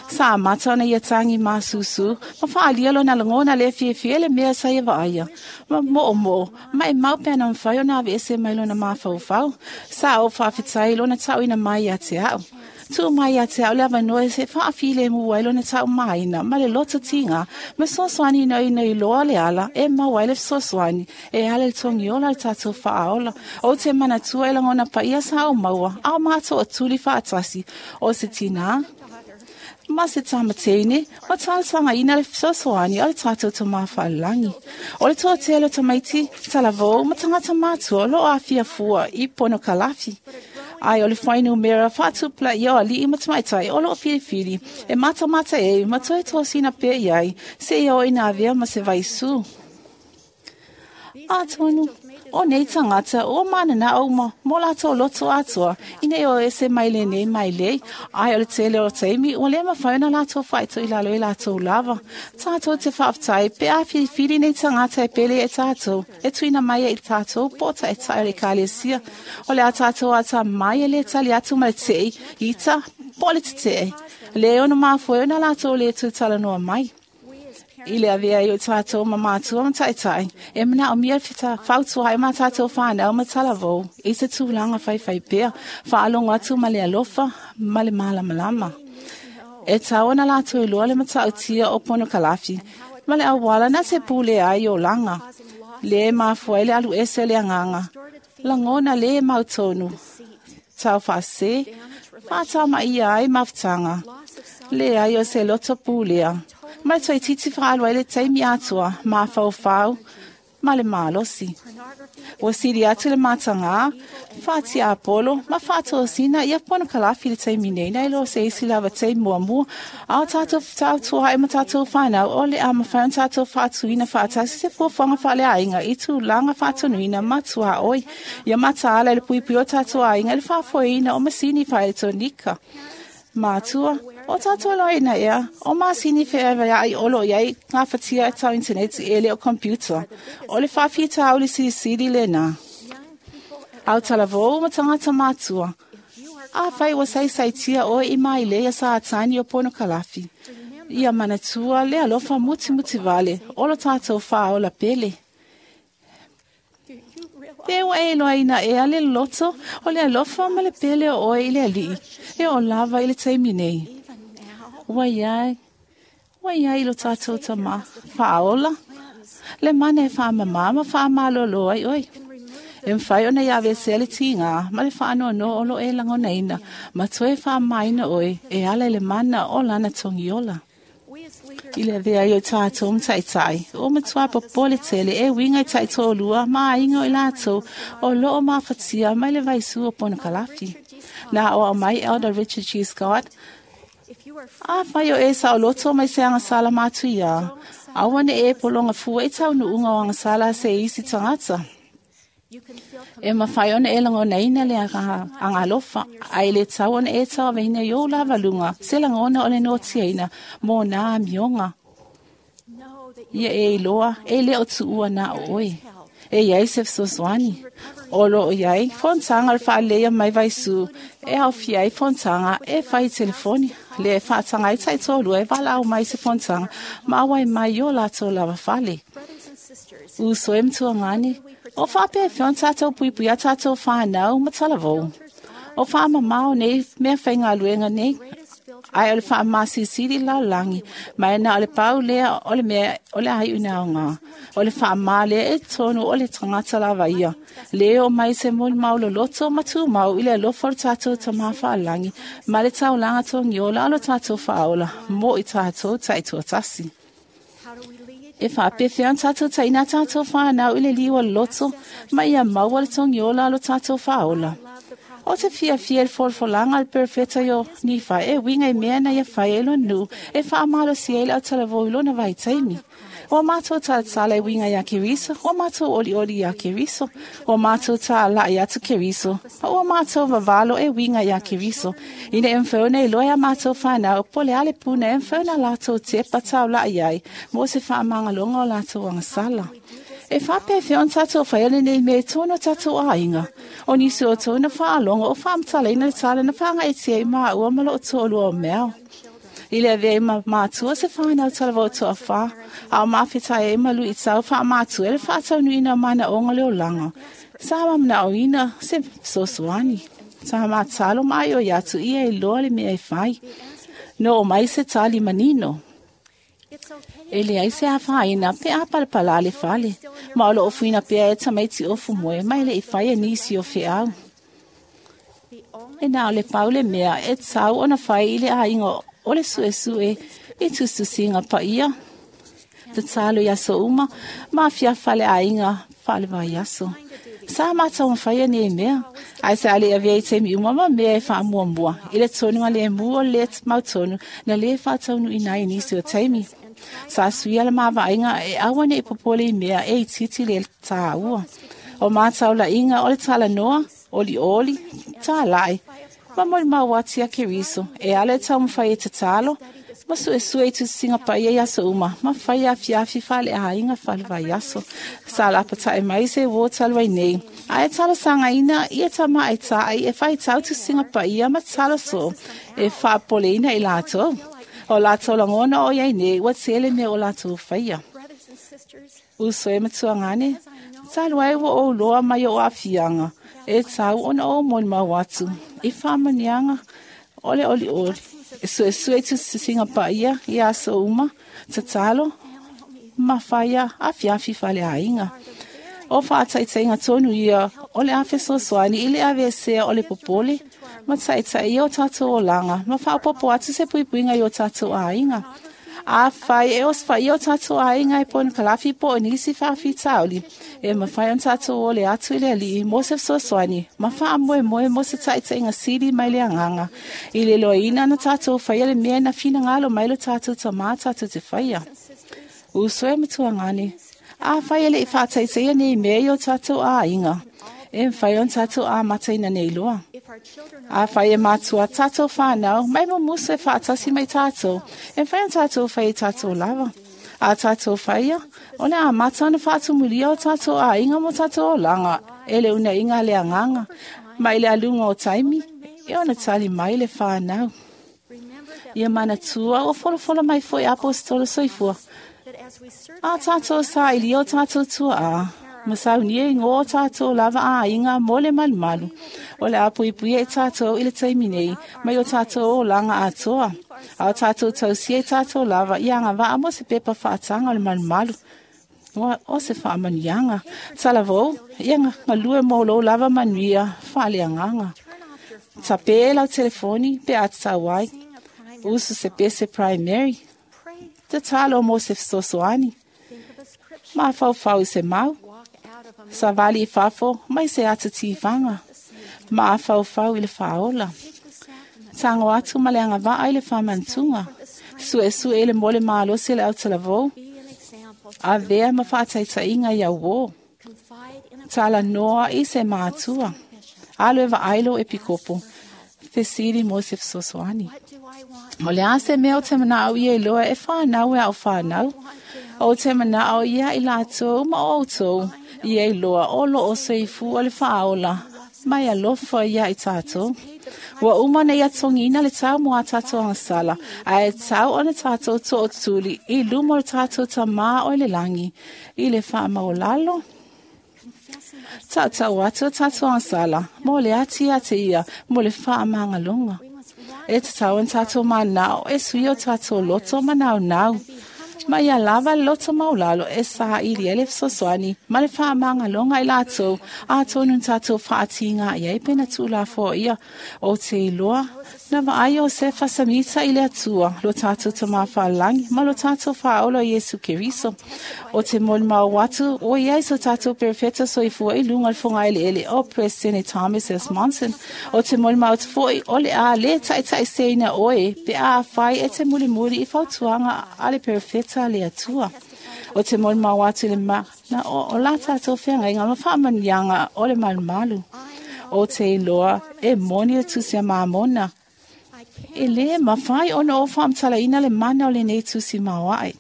Sa mata ona ia tangi masusu, ma whaalia lona langona le fie fie le mea sa ia vaaya. Ma moo moo, ma e mau pena mwhai ona awe ese mai lona mawhau. Sa o whawhitai lona tau ina mai a te au. Tū mai a te au le awanoe se whaafile mua i lona tau maina, ma le loto tinga, ma soswani no ina i loa le ala, e mawai le soswani, e ale le tongi ola le tātou whaaola. O te manatua e langona pa ia sa o maua, au mātou o tuli whaatasi, o se tina. Ma se tamateine, o tālsanga ina le sosoani o le tātou to mawhalangi. O le toa tele o tamaiti, talavou, ma tangata mātua, lo awhia fua i pono kalafi. Ai o le whainu mera whātupla i o ali i matamaitai o lo whiriwhiri, e mata mata e, ma toe tōsina pe iai, se i o ina avea ma se vaisu. Ātonu, o nei tangata, o manana o ma, mō lātou loto atoa, ina i o ese mai le nei mai lei, ai o le tele o teimi, o le mawhauna lātou whaito i lalo i lātou lava. Tātou te whaaftai, pe a whiriwhiri nei tangata e pele e tātou, e tuina mai e i tātou, pōta e tai o le kālesia, o le a tātou ata mai e le tali atu ma le tei, ita, po le te tei, le ono mawhoi ona lātou le tūtala noa mai. I le avea i o tātou ma mātua ma taitai, e mana o mia whita whautua e mā tātou whānau ma talavou, i se tūlanga whaiwhai pea, whaalongo atu ma le alofa, ma le malamalama. E tau ana lātou i loa le matautia o pono kalafi, ma le awala na te pule ai o langa, le mafua le alu ese le anganga, langona le mautonu, tau whaase, whātama ia ai mawhtanga, le ai o se loto pulea. Mai toi titi whaalua le teimi atua, mā whau, ma le mālosi. O siri atu le mātanga, whāti Apollo, ma whātōsina, ia pono kalafi le teimi nei, nei lo se isi lava teimi mua mua, au tātou tātou hai ma tātou whanau, o le ama whaun tātou whātuina whātasi se fuafuanga whale ainga, i tūlanga whātonuina matua oi, ia mataala le puipui o tātou ainga, le whāfoina o masini whaeletonika. Mātua, o tātou loina ea, o māsini whaewa ai olo iai ngā whatia e tau internet e le o computer. O le whawhita au le sirisiri le nā. Au talavou ma tangata mātua. A whai wa saisaitia oe i mai le ia sa atani o pono kalafi. Ia manatua le alofa muti muti vale, olo tātou whaola pele. Pe ua e loa ina ea le loto, o le alofa ma le pele o oe i le alii, e o lava i le taimi nei. Wai ai lo tātou tama, whaola, le mana e whaamama ma whaamalolo ai oi. E mwhai ona ia vese le tinga, ma le whaano no o lo e langona ina, ma toe whaamaina oi, e ala le mana o lana tongiola. I le avea ai o tatou ma taʻitaʻi, ua matuā popole tele e uiga i taʻitoalua ma aiga o i latou o loo mafatia mai le vaisu o ponokalafi. Na aʻoaʻo mai Elder Richard G. Scott, Afai o e saoloto mai se agasala matuiā, aua ne e pologa fua i taunuuga o agasala a se isi tagata. E mafai ona e lagonaina le agalofa, ae le tau ona e tauaveina i ou lavaluga se lagona o le notiaina mo nā amioga. Ia e iloa e le o tuua na o oe. E iai se fesoasoani. O loo iai fonotaga o le faaleleia mai vaisu e aofia ai fonotaga e fai i telefoni, lea e faataga ai taitoalua e valaau mai se fonotaga ma auai mai i o latou lava fale. Uso e matuagane, o faapefea ona tatou puipuia tatou whānau ma talavou. O whaamamao nei mea whaingaluenga nei, ae o le faamasisili lalolagi, ma e na o le pau lea o le mea o le ai una aoga. O le faamā lea e tonu o le tagata lava ia. Le o mai se molimau loloto ma tumau i le alofa o le tatou Tamā Faalagi ma le taulaga togiola o lo tatou faaola mo i tatou taitoatasi. E faapefea ona tatou taina tatou whānau i le liu o le loto ma ia maua le togiola o lo tatou faaola. O te fiafia i le folafolaga a le perofeta o Nifae e uiga i mea na ia fai ai lona nuu e faamalosia ai le autalavou i lona vaitaimi. Ua matou talatala e uiga iā Keriso, ua matou olioli iā Keriso, ua matou tālaʻi atu Keriso, ma ua matou vavalo e uiga iā Keriso. Ina e mafai ona iloa e a matou fanau po o le a le puna e mafai ona latou tepa taulaʻi ai mo se faamagaloga o latou agasala. E faapefea ona tatou faia lenei mea i totonu o tatou aiga. O nisi o outou na faalogo o faamatalaina le tala na faagaetia i maua ma loo toalua o mea. I le avea ai ma matua se whānau talavou toawhā, a o mawhetai ai ma luitau faamatua e le faataunuuina o manaoga o le olaga. Sa mamanaoina se fesoasoani. Sa matalo ma aioi atu ia iloa le mea e fai. No o mai se tali manino. E leai se afaina pe a palapala le fale, ma o loo fuina pea e tamaiti ofu moe mai le i fai e nisi o feau. E na o le pau le mea e tau ona fai i le aiga o le suesue i tusitusiga paia. Tatalo i aso uma, ma afiafi faleaiga faale-vaiaso. Sa matou mafaia nei mea, ae sa le avea i taimi uma ma mea e faamuamua i le tonuga lemu o le mautonu na lē faataunuuina ai nisi o taimi. Sa suia le mavaaiga e aua neʻi popole i mea e itiiti le tāua. O mataulaiga o le talanoa, olioli, tālaʻi, ma molimau atu iā Keriso e ala e taumafai e tatalo ma suesue i tusisiga paia i aso uma ma fai afiafi faaleaiga faale-vaiaso. Sa lapataʻi mai se uō talu ai nei, ae talosagaina ia tamaʻaitaʻi e faitau tusisiga paia ma talosoʻo e faapopoleina i latou. O latou lagona o iai nei ua tele mea o latou faia. Uso e matuagane, talu ai ua ou loa mai o aafiaga e tau ona ou molimau atu i faamanuiaga o le olioli. E suesue i tusitusiga paia i aso uma, tatalo ma faia afiafi faleaiga. O faataitaiga tonu ia o le a fesoasoani i le aveesea o le popole ma taʻitaʻi o tatou olaga ma faaopoopo atu se puipuiga i o tatou aiga. Afai e osofaia o tatou aiga e ponokalafi po o nisi faafitauli, e mafai ona tatou ole atu i le Alii mo se fesoasoani ma faamoemoe mo se taʻitaʻiga sili mai le agaga i le iloaina ona tatou faia le mea na finagalo mai lo tatou Tamā tatou te faia. Uso e matuagane, afai e leʻi faataitaia nei mea i o tatou aiga, e mafai ona tatou amataina nei loa. Afai e matua tatou whānau, mai mumusu e faatasi mai tatou, e mafai ona tatou fai i tatou lava. A tatou faia, o le amata ona faatumulia o tatou aiga mo tatou olaga, e le unaiga a le agaga, mai le aluga o taimi, e ona tali mai le whānau. Ia manatua ua folafola mai foi apostola soifua. A tatou saili o tatou tuaʻa, ma saunia i ngō tatou lava aiga mo le malumalu. O le a puipuia i tatou i le taimi nei, mai o tatou olaga atoa. A o tatou tausia i tatou lava i agavaa mo se pepa faataga o le malumalu. O se faamanuiaga. Talavou, ia galue mo lou lava manuia faaleagaga. Tape lau telefoni pe a tatau ai. Usu se pese primary. Tatalo mo se fesoasoani. Mafaufau i se mau. Savali i fafo mai se ata tivaga. Mafaufau i le faaola. Tago atu ma le agavaa i le faamanatuga. Suesue i le mo le malosi o le autalavou. Avea ma faataitaiga i auō. Talanoa i se matua. Alo e vaai lou epikopo. Fesili mo se fesoasoani. O le a se mea o te manao ia iloa e whanau e au whanau. O te manao ia i lātou ma outou. Ia iloa o lo o soifua o le faaola. Mai alofa ia i tātou. Ua uma na ia togina le tau mo a tātou agasala. Ae tau ona tātou tootuli i luma o le tātou tamā o i le langi. I le faamaolalo. Tautau atu o tātou agasala. Mo le ati ate ia, mo le faamagaloga. E tatau ona tātou manao e sui o tātou loto ma naunau. Ma ia lava le loto maulalo e saili ai le fesoasoani ma le faamagaloga i latou atonu na tātou faatiga i ai pe na tuulafoaia o te iloa na vaai Iosefa Samita i le Atua lo tātou tamā faalagi ma lo tātou faaola o Iesu Keriso. O te molimau atu o iai so tātou perefeta soifua i luga o le fogaeleele o President Thomas S. Monson. O te molimau atu foi o le a le taitaiseina oe pe a fai e te mulimuli i fautuaga a le perefeta le Atua. O te molimau atu i le mana o la tātou feagaiga ma faamanuiaga o le malumalu. O te iloa e moni le tusi a Mamona. E lē mafai ona o faamatalaina le mana o lenei tusi maoae.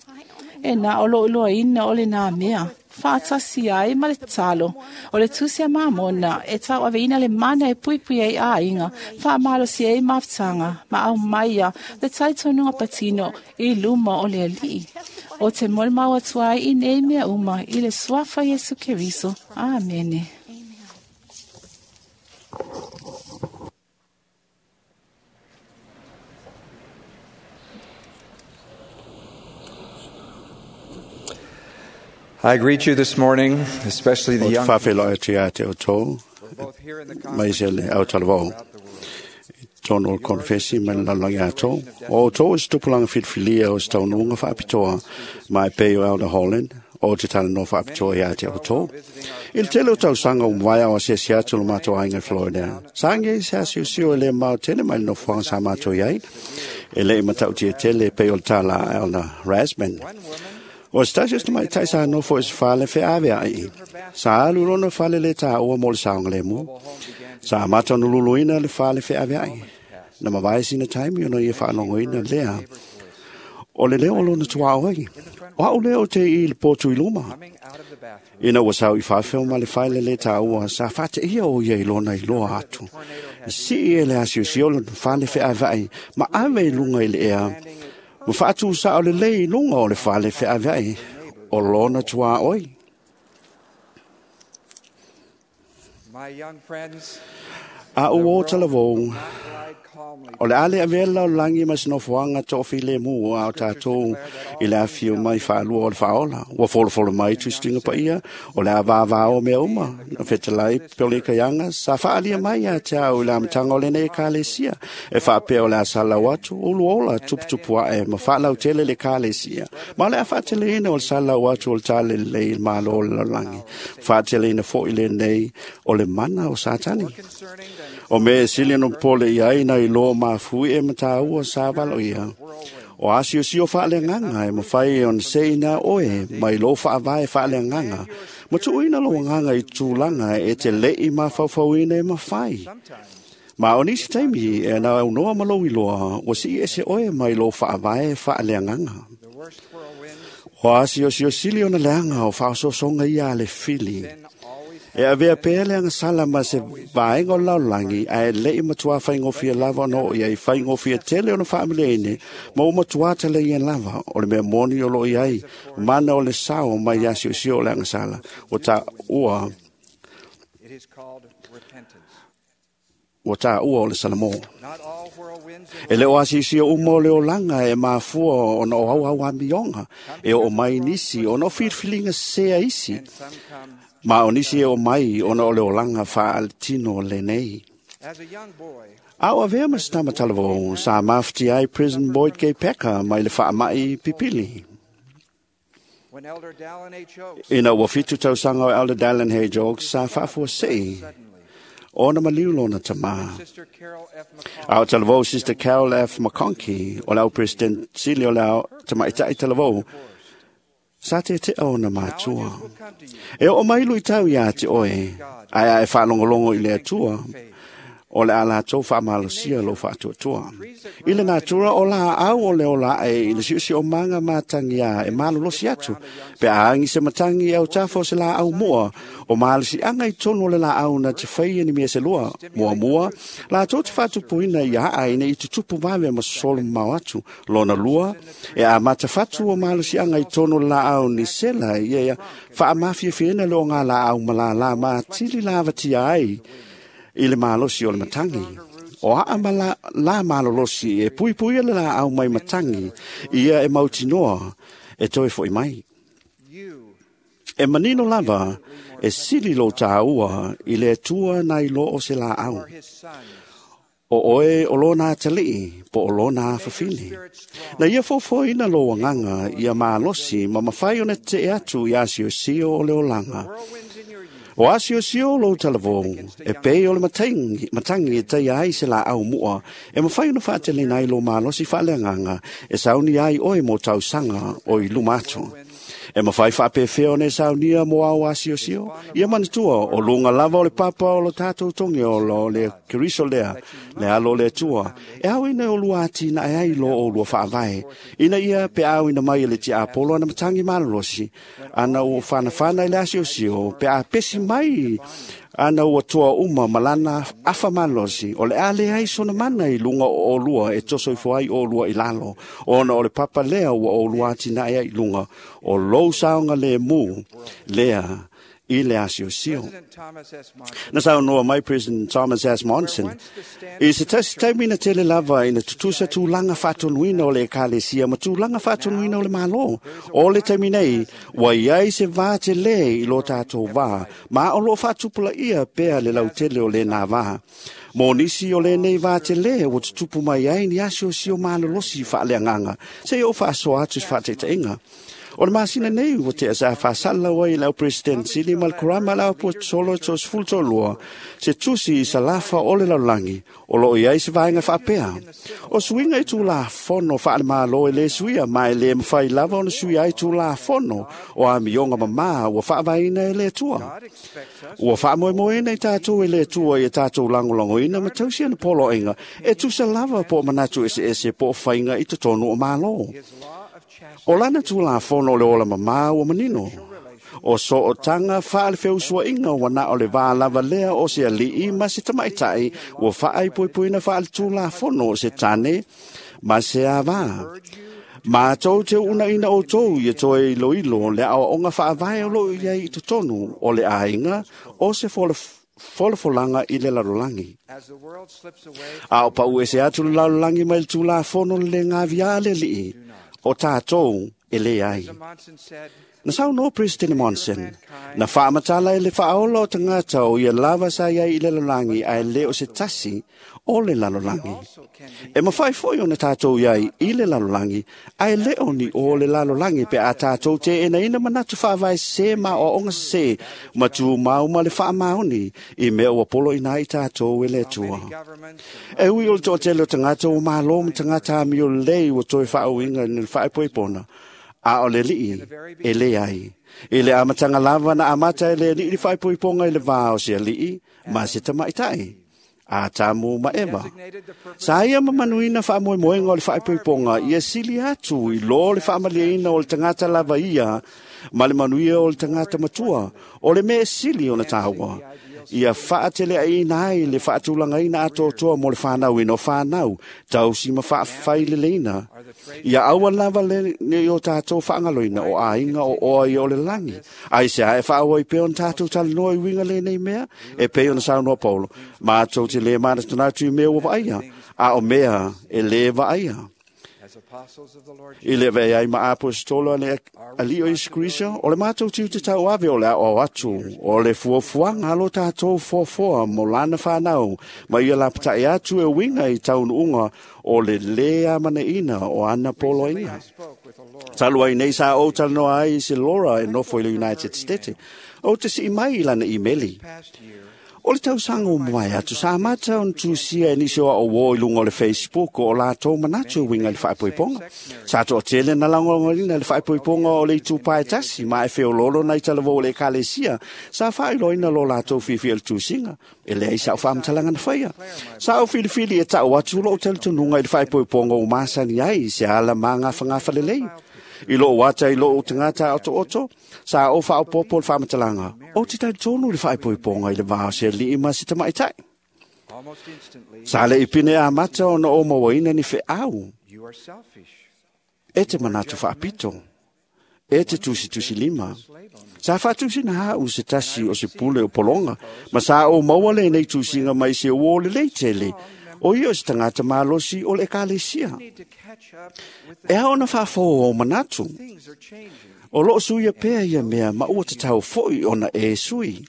E na o lou iloaina o lenā mea. Faatasi ai ma le tatalo. O le tusi a Mamona e tauaveina le mana e puipui ai aiga, faamalosi ai mafutaga, ma aumaia le talitonuga patino i luma o le Alii. O te molimau atu ai i nei mea uma i le suafa Iesu Keriso. Amene. I greet you this morning, especially the O te young whawheloa te a te o tō, mai se le au talavau. I tōno o le konfesi mai le lalagi a tō. O tō o se tupulanga whiriwhiria o se taununga whaapitoa mai pei o Elder Holland, o te tana no whaapitoa i a te o tō. I le tele o tausaga o mwai o se se atu lo mātou ainga i Florida. Sange i se asiusio e le mau tele mai le nofoanga sa mātou iai. E le i matau tia tele pei o le tāla Elder Rasman. O se tasi o se tamaitai sa nofo i se fale feaveai. Sa alu lona fale le tāua mo le saogalemu. Sa amata ona luluina le fale feaveai. Na mavae sina taimi ona ia faalogoina lea. O le leo o lona tuaʻo ai. O au lea o te i le potu i luma. Ina ua sau i faafeo ma le fale le tāua sa faateia o ia i lona iloa atu. Sii e le asiosio o lona fale feaveai ma ave i luga i le ea. Ma faatusa o le lei i luga o le fale feaveai o lona tuaoi. My young friends, A ua o talavou, o le ale avela o langi ma se nofoaga toafilemu a o tatou i le afio mai faalua o le faaola. Ua folofolo mai tusituga paia o le a vāvā o mea uma. Na fetalai Peolikaiaga sa faaalia mai ia te au i le amataga o lenei ekalesia. E faapea o le a salau atu, uluola tuputupu ae ma faalautele le ekalesia. Ma o le a faateleina o le salau atu o le talalelei i le Malo o le lalolagi. Faateleina foi lenei o le mana o Satani. O mea e sili ona popole i ai na iloa mafui e mataua sa valo ia. O asiosio faaleagaga e mafai ona seina oe mai lou faavae faaleagaga. Ma tuuina lou agaga i tulaga e te le'i mafaufauina e mafai. Ma o nisi taimi e na aunoa ma lou iloa, ua sii ese oe mai lou faavae faaleagaga. O asiosio sili ona leaga o faaosoosoga ia a le fili. E avea pea le agasala ma se vaega o le lalolagi, ae le'i matuā faigofie lava ona oo i ai faigofie tele ona faameleine, ma ua matuā talaia lava o le mea moni o loo i ai, mana o le sao mai asiosio o le agasala. Ua taua it is called repentance. ua taua o le Salamo. Not all whirlwinds E le o asiusio uma o le olaga e mafua ona o auau amioga, e oo mai nisi ona o filifiliga sesē a isi. and some come Ma o nisi e oo mai ona o le olaga faaletino lenei. A o avea ma se tama talavou sa mafutia ai President Boyd K. Packer mai le faama'i pipili. Ina ua 7 tausaga o Elder Dallin H. Oaks sa faafuasei ona maliu lona tamā. A o talavou Sister Carol F. McConkie o le au President sili o le au tamaita'i talavou sa tete'a ona matua. E oo mai luitau iā te oe, ae a e faalogologo i le Atua, o le a latou faamalosia lou faatuatua. I le natura o la au o le ola ae i le siosiomaga matagiā e malolosi atu, pe a agi se matagi e autafa o se laau mua, o malosiaga i tonu o le laau na te faia ni mea se lua. Muamua, latou te faatupuina ia aa ina i tutupu vave ma sosolo mamao atu. Lona lua, e amata fatu o malosiaga i tonu o le laau ni sela ia ia faamafiafiaina le oga laau ma lālā matili lavatia ai i le malosi o le matangi. O aa ma la malolosi e puipuia le laau mai matangi, ia e mautinoa e toe fo'i mai. E manino lava e sili lou tāua i le Atua nai lo o se laau. O oe o lona atalii po o lona afafine. Na ia fofoina lou agaga ia malosi ma mafai ona te'e atu i asiosio o le olaga. O asiosio o lou talavou, e pei o le matangi e taia ai se laau mua, e mafai ona faateleina ai lou malosi faaleagaga, e sauni ai oe mo tausaga o i luma atu. E mafai faapefea ona e saunia mo ao asiosio, ia manatua o luga lava o le papa o lo tatou togi o lo le Keriso lea, le alo o le Atua, e ao ina o lua atinae ai lo o lua faavae, ina ia pe ao ina mai e le tiapolo ana matangi malolosi, ana ua whanawhana i le asiosio, pe a pesi mai ana ua toa uma malana afa malosi, o le a le ai sona mana i lunga o olua e toso ifo ai o olua i lalo, ona o le papa lea ua olua atinae ai i lunga, o lou saoga le mu lea i le asiosio. Na saunoa mai President Thomas S. Monson, i se tasi taimi na tele lava ina tutusa tulaga faatonuina o le ekalesia ma tulaga faatonuina o le Malo. O le taimi nei, ua iai se vā telē i lo tatou vā, ma o loo faatupulaia pea le lautele o lenā vā. Mo nisi o lenei vā telē ua tutupu mai ai ni asiosio malolosi faaleagaga, seia o faasoa atu se faataitaiga. O le masina nei ua tea sa faasala ai le au President sili ma le Kurama le Aposetolo 32 se tusi i salafa o le lalolagi o loo i ai se vaega faapea. O suiga i tulafono faale-Malo e lē suia ma e lē mafai lava ona suia ai tulafono o amioga mamā ua faavaeina e le Atua. Ua faamoemoeina i tatou e le Atua ia tatou lagolagoina ma tausi ana poloaiga e tusa lava po o manatu eseese po o faiga i totonu o Malo. O lana tulafono o le ola mamā ua manino. O sootaga faalefeusuaʻiga ua na o le vā lava lea o se aliʻi ma se tamaʻitaʻi ua faaipoipoina faaletulafono o se tane ma se avā. Matou te uunaina outou ia toe iloilo le aoaoga faavae o loo i ai i totonu o le aiga o se folafolaga i le lalolagi. A o pau ese atu le lalolagi mai le tulafono le lē gaviā le aliʻi, o tatou e lē ai. Na saunoa President Monson, na faamatala e le faaola o tagata o ia lava sa iai i le lalolagi ae lē o se tasi o le lalolagi. E mafai foi ona tatou iai i le lalolagi ae lē o ni o le lalolagi pe a tatou teenaina manatu faavae sesē ma aoaoga sesē ma tumau ma le faamaoni i mea ua poloina ai tatou e le Atua. E ui o le toatele o tagata ua malo ma tagata amio lelei ua toe faauiga i le faaipoipona, a o le alii e lē ai. I le amataga lava na amata e le alii le faaipoipoga i le vā o se alii ma se tamaʻitaʻi, Atamu ma Eva. Sa ia mamanuina faamoemoega o le faaipoipoga ia sili atu i lō le faamalieina o le tagata lava ia ma le manuia o le tagata matua, o le mea e sili ona tāua. Ia faateleaiina ai le faatulagaina atoatoa mo le fanauina o fanau, tausi ma faafaileleina. Ia aua lava le nei o tatou faagaloina o aiga o oa ia o le lagi. Ai se ae faaauai pea ona tatou talanoa i uiga lenei mea, e pei ona saunoa Paulo, matou te lē manatunatu i mea ua vaaia, a o mea e lē vaaia. I le vea ai ma apostolo le alii o Iesu Keriso, o le matou tiute tauave o le aoao atu, o le fuafuaga a lo tatou foafoa mo lana fanau, ma ia lapatai atu e uiga i taunuuga o le lē amanaina o ana poloaiga. Talu ai nei sa ou talanoa ai i se Laura e nofo i le United States, ou te sii mai i lana imeli. O le tausaga ua mavae atu sa amata ona tusia e nisi o aʻo i luga o le Facebook o latou manatu e uiga i le faaipoipoga. Sa toatele na lagolagoina le faaipoipoga o le itupa e tasi ma e feololo nai talavou o le ekalesia sa faailoaina lo latou fiafia i le tusiga. E leai sa'u faamatalaga na faia. Sa ou filifili e ta'u atu lo'u talitonuga i le faaipoipoga ua masani ai i se ala magafagafa lelei. I lou ata i lou tagata otooto, sa ou faaopoopo le faamatalaga, ou te talitonu i le faaipoipoga i le va o se alii ma se tamaitai. Sa le i pine amata ona ou mauaina ni feau. E te manatu faapito, e te tusitusi lima. Sa faatusina a'u se tasi o se pule o pologa, ma sa ou maua lenei tusiga mai se uō lelei tele, o ia o se tagata malosi o le ekalesia. E ao ona faafou ou manatu. O loo suia pea ia mea ma ua tatau fo'i ona e sui.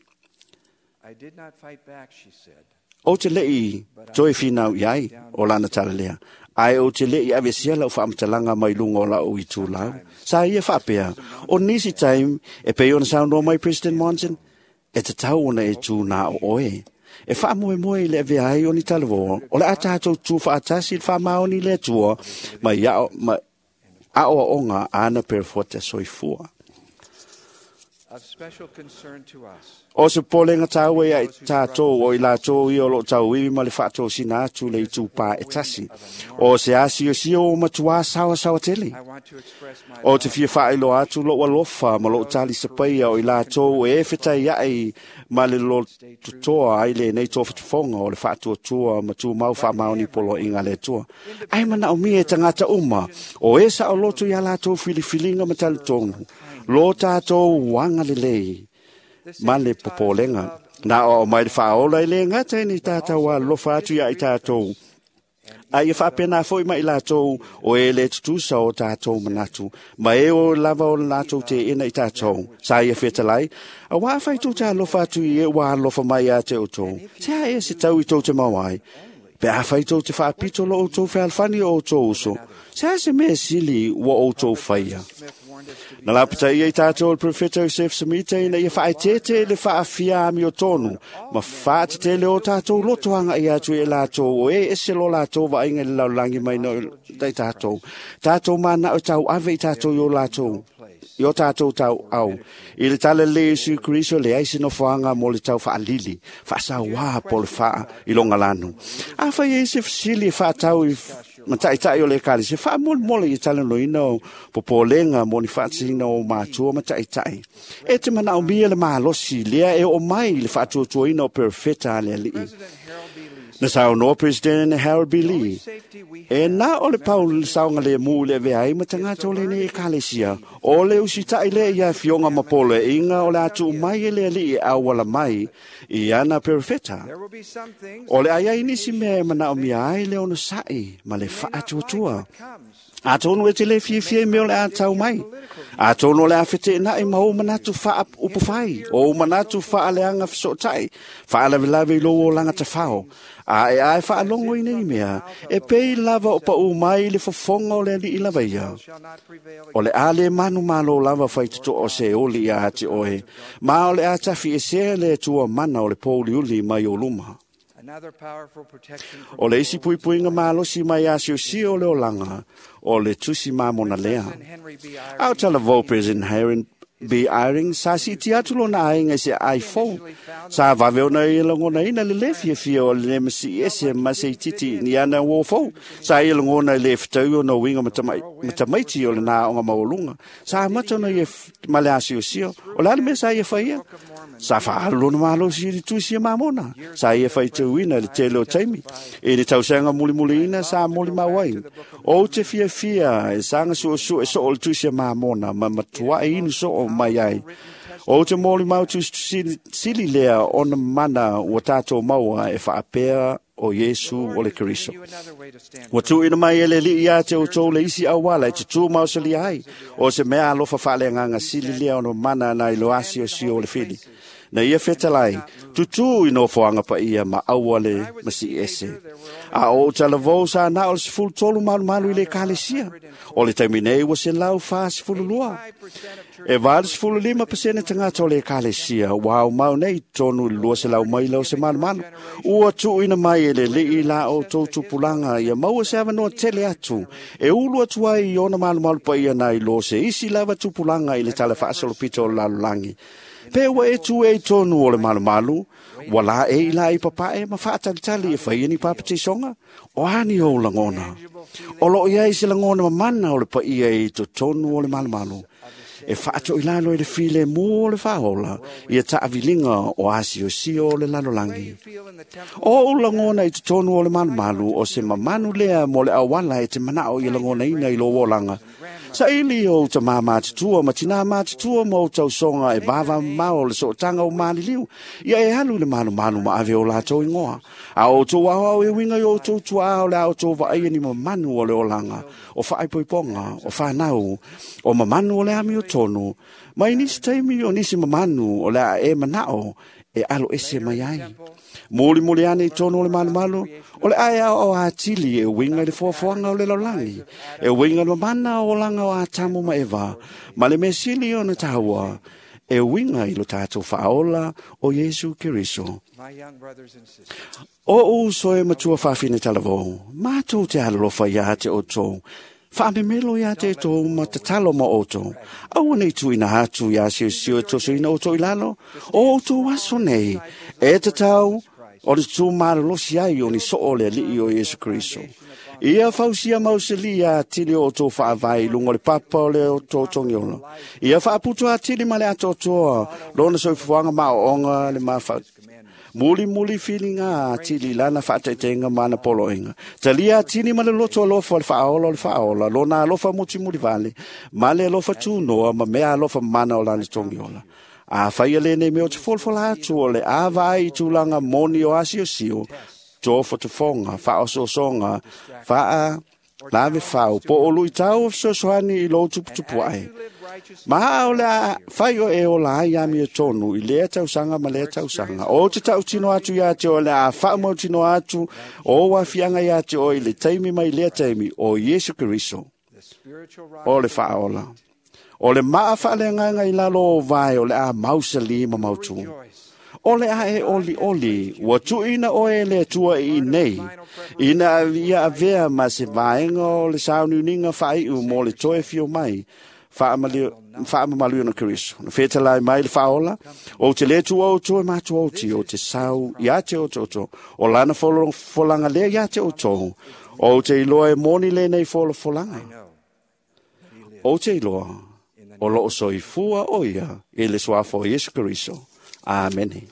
Ou te le'i toe finau i ai o lana tala lea, ae ou te le'i aveesea lau faamatalaga mai luga o la'u itulau. Sa ia faapea, o nisi taimi e pei ona saunoa mai President Monson, e tatau ona e tū nā o oe. E faamoemoe i le avea ai o ni talavō, o le a tatou tū faatasi i le faamaoni le Atua ma i ao, ma aoaoga a ana perofeta soifua. O se polega tāua ia i tātou o i latou ia o loo tauivi ma le faatosina atu le itupā e tasi. O se asiosio o matuā sawasawa tele. O te fia faailoa atu lou alofa ma lou talisapaia o i latou e fetaiaʻi ma le lototoa ai lenei tofatofoga o le faatuatua ma tumau faamaoni poloaiga a le Atua. Ae manaomia e tagata uma o e saoloto iā latou filifiliga ma talitonu lo tatou agalelei ma le popolega. Na o mai le faaola i le gata i ni tātou alofa atu ia i tātou. A ia faapena foi mai latou o e le tutusa o tātou manatu, ma e o lava o latou te ina i tātou. Sa ia fetalai, a wā whai tō te alofa atu i e wā alofa mai a te o tō. Se a e se tau i tō te mawai. Pe a whai tō te whaapito lo o tō whealwhani o tō uso. Se a se mea sili ua o tō whaia. Na lapata ia i tātou o le profeta Joseph Smith ina ia whaetete le whaafia ami o tonu, ma whaatetele o tātou lotoanga i atu e lātou, o e ese lo lātou vainga le laulangi mai no i tātou. Tātou mana o tau ave i tātou i o lātou, i o tātou tau au. I le tala le Yesu Kristo le ai se nofoanga mo le tau whaalili, whaasawā po le whaa i longa lanu. A whai e se fisili e whaatau i mataitai o le ekalesi, faamolemole i talanoina o popolega mo ni faatasiga o matua mataitai. E te manaomia le malosi lea e oo mai i le faatuatuaina o perofeta a le alii. Na saunoa President Harold B. Lee, e na o le pau le saoga lemu i le avea ai ma tagata o lenei ekalesia, o le usitaʻi lea ia afioga ma poloaiga o le atuu mai e le alii e auala mai i ana perofeta. O le aiai nisi mea e manaomia ai le onosaʻi ma le faatuatua. Atonu e te le fiafia i mea o le a tau mai. Atonu o le a feteenaʻi ma ou manatu faaupufai, o ou manatu faaleaga fesootaʻi, faalavelave i lou olaga tafao. A e ae faalogo i nei mea, e pei lava o paʻu mai i le fofoga o le alii lava ia. O le a le manu malo lava faitotoa o se oli ia ate oe, ma o le a tafi esea le Atua mana o le pouliuli mai o luma. O le isi puipuiga malosi mai asiosio o le olaga, o le tusi mamona lea. A o talavou President Harry B. Eyring sa siiti atu lona aiga i se iPhone. Sa vave ona ia lagonaina le lē fiafia o le masii ese ma se ititi ni ana uō fou. Sa ia lagona i le fetaui ona uiga matamaiti o lenā aoga maualuga. Sa amata ona ia ma le asiosio. O le a le mea sa ia faia? Sa faaalu lona malosi i le tusi e mamona. Sa ia faitauina i le tele o taimi. I le tausaga mulimuliina sa molimau ai. Ou te fiafia e saga suesue soo o le tusi e mamona ma matuai inu soo mai ai. O te molimau tusili lea ona mana ua tātou maua e faapea o Iesu o le Keriso. Ua tuuina mai e le Alii ia te outou le isi auala e tutū maosalia ai, o se mea alofa faaleagaga sili lea ona mana nai lo asiosio o le fili. Na ia fetalai, tutū i nofoaga paia ma aua le masii ese. A o ou talavou sa na o le 13 malumalu i le ekalesia. O le taimi nei ua 142. E 85% tagata o le ekalesia ua aumau nei i totonu i le 200 maila o se malumalu. Ua tuuina mai e le Alii la outou tupulaga ia maua se avanoa tele atu e ulu atu ai i ona malumalu paia nai lo se isi lava tupulaga i le tala faasolopito o le lalolagi. Pe ua e tu e i tonu o le malumalu, ua la e i la i papae ma faatalitali e fai ni papatisoga, o ani ou lagona. O loo iai se lagona mamana o le paia i totonu o le malumalu. E faatoilalo i le file mu o le faaola, ia taaviliga o asiosio o le lalolagi. O ou lagona i totonu o le malumalu o se mamanu lea mo le auala e te manao i lagonaina i lou olaga. Saili o uta matutua ma tina matutua ma o tausoga e vavamamao o le sootaga o maliliu. Ia e alu i le malumalu ma ave o latou igoa. A outou aoao e uiga i outou tuaa o le a outou vaaia ni mamanu o le olaga, o faaipoipoga, o fanau, o mamanu o le amiotonu, mai nisi taimi o nisi mamanu o le a e manao e alo ese mai ai. Mulimuli ane i tonu o le malumalu, o le ae ao atili e uiga i le foafoaga o le lalolagi, e uiga i le mamana o olaga o Atamu ma Eva, ma le mea sili ona taua, e uiga i lo tatou faaola o Iesu Keriso. O uso e matua faafine talavou, matou te alolofa ia te outou, faamemelo ia te outou ma tatalo ma outou. Aua nei tuuina atu ia siosio e tosoina outou i lalo, o outou aso nei, e tatau o le tutū malolosi ai o ni soo o le Alii o Iesu Keriso. Ia fausia mausalia atili o outou faavae i luga o le papa o le outou togiola. Ia faaputu atili ma le atoatoa lona soifuaga maoaoga le mafa mulimuli filiga atili i lana faataitaiga ma ana poloaiga. Talia atili ma le loto alofa o le faaola o le faaola, lona alofa mutimulivale, ma le alofa tunoa ma mea alofa mana o lana togiola. A faia lenei mea o te folafola atu o le a vaai i tulaga moni o asiosio, tofotofoga, faaosoosoga, faa lave fau, po o luitau o fesoasoani i lou tuputupu ae. Ma a o le a fai o e ola ai amiotonu i lea tausaga ma lea tausaga. O te tautino atu ia te oe le a faamautino atu o ou aafiaga ia te oe i le taimi mai lea taimi o Iesu Keriso o le faaola. O le maa faaleagaga i lalo o vae o le a mausali ma mautū. O le a e oli oli, ua tuuina oe e le Atua i inei, ina ia avea ma se vaega o le sauniuniga faaiu mo le toe fio mai, faamamalu ona Keriso. Na fetalai mai le faaola, ou te le tuua outou e matou oti, o te sau ia te outou, o lana folafolaga lea ia te outou, ou te iloa e moni lenei folafolaga. Ou te iloa, o loo soifua o ia i le suafa o Iesu Keriso. Amene.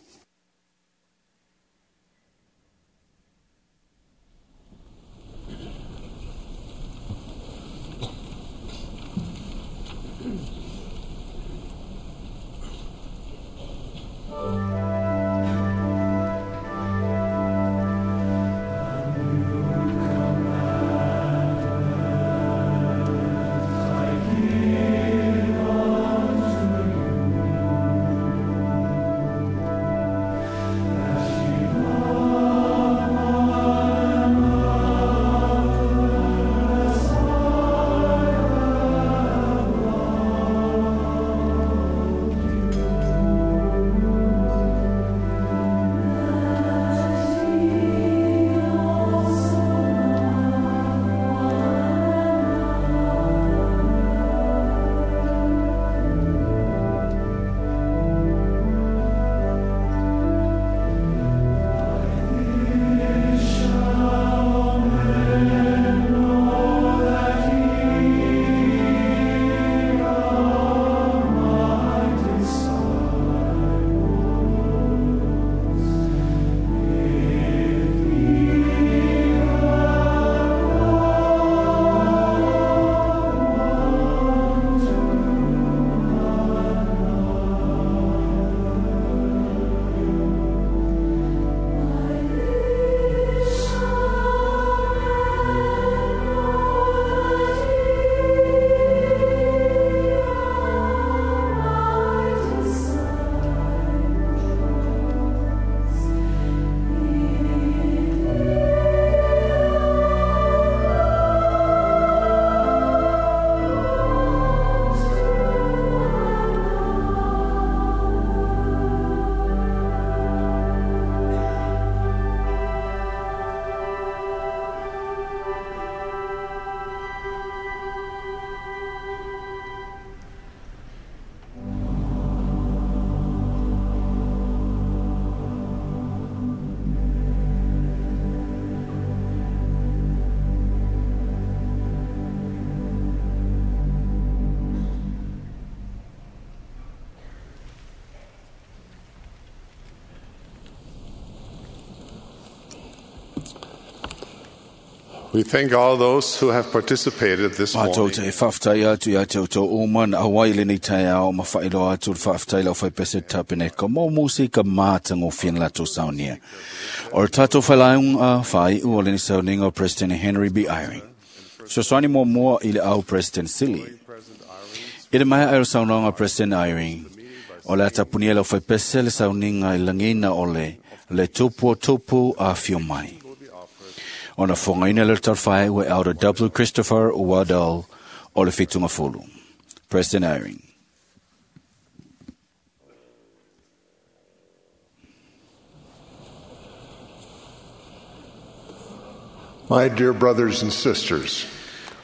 We thank all those who have participated this Mātou morning. te whawhtai atu ia te auto uma na Hawaii le nei tai ao ma whailoa atu le whawhtai lau whaipese tapene ka mō musi ka mātango whian lato saunia. O le tātou whailaung a whai ua le ni sauninga o President Henry B. Eyring. Soswani mō mua i le au President Sili. I le mai ai o saunoanga President Eyring. O le atapunia lau whaipese le sauninga i langina o le tupu o tupu a whio mai. Ona whangaina le tarwhai ua Elder W. Christopher Waddell o le whitunga fulu. President Eyring. My dear brothers and sisters,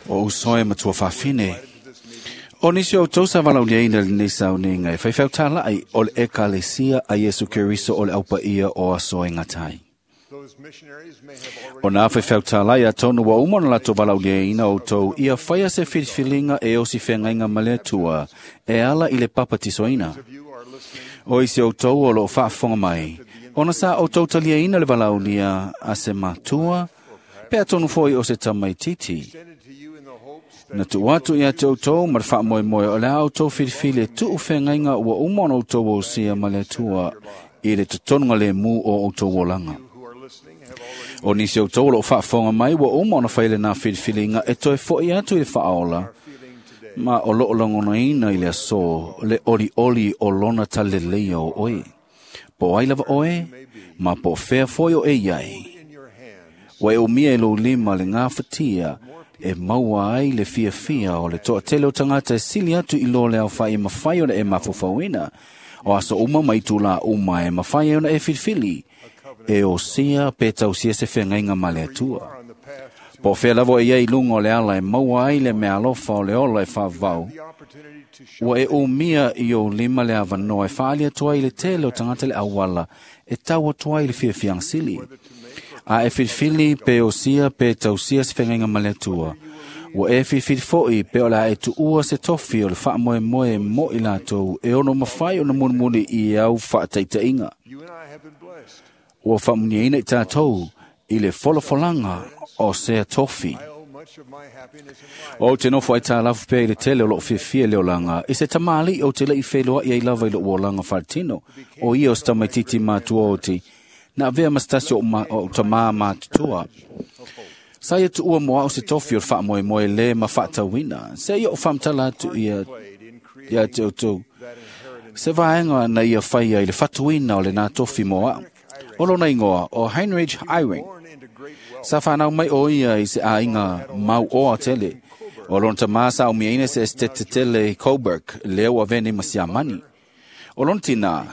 O usoe matua whawhine. O nisi o tau sa walau ina le nei sauninga e whaiwhau tālai o le ekalesia a Yesu Keriso o le aupa ia o aso e ngatai. O nā whaiwhau tālai a tonu wa umona lato walau ina o tau ia whaia se whiriwhiringa e osi whengainga malea tua e ala i le papatisoina. O isi o tau o lo whaafonga mai. Ona sa o tau talia ina le walaulia a se matua, pea tonu foi o se tamai titi. Na tu atu ia te outou ma le faamoemoe o le a outou filifili e tuu feagaiga ua uma ona outou ousia ma le Atua i le totonuga lemu o outou olaga. O nisi outou o loo faafofoga mai ua uma ona fai lenā filifiliga e toe fo'i atu i le faaola ma o loo lagonaina i le asō le olioli o lona taleleleia o oe. Po ai lava oe, ma po o fea foi o e iai. Ua e umia e lou lima le gafatia e maua ai le fiafia o le toatele o tagata e sili atu i lo le aofai e mafai ona e mafaufauina. O aso uma mai tula uma e mafai ai ona e filifili. E osia pe tausia se feagaiga ma le Atua. Po o fea lava e iai luga o le ala e maua ai le meaalofa o le ola e faavavau. Ua e umia i ou lima le avanoa e faali atu ai i le tele o tagata le auala e tau atu ai i le fiafiaga sili. A e filifili pe osia pe tausia se feagaiga ma le Atua. Ua e filifili fo'i pe o le a e tuua se tofi o le faamoemoe mo i latou e ono mafai ona mulimuli i au faataitaiga. Ua faamuniaina i tatou i le folafolaga o sea tofi. O te nofo ai tālafu pea i le tele o loo fiafia le olaga, i se tamāli'i o te le'i feloa'i ai lava i lou olaga faletino, o ia o se tamaititi matua oti, na avea ma se tasi o tamā matutua. Sa ia tuua mo au se tofi o le faamoemoe lē ma faatauina, se ia o faamatala atu ia te outou. Se vaega na ia faia i le fatuina o lenā tofi mo au. O lona ingoa o Heinrich Eyring. Sa whanau mai o ia i se āinga mau oa tele. O lona tamā sa umiaina se estete tele Coburg, lea ua vene ma Siamani. O lona tina,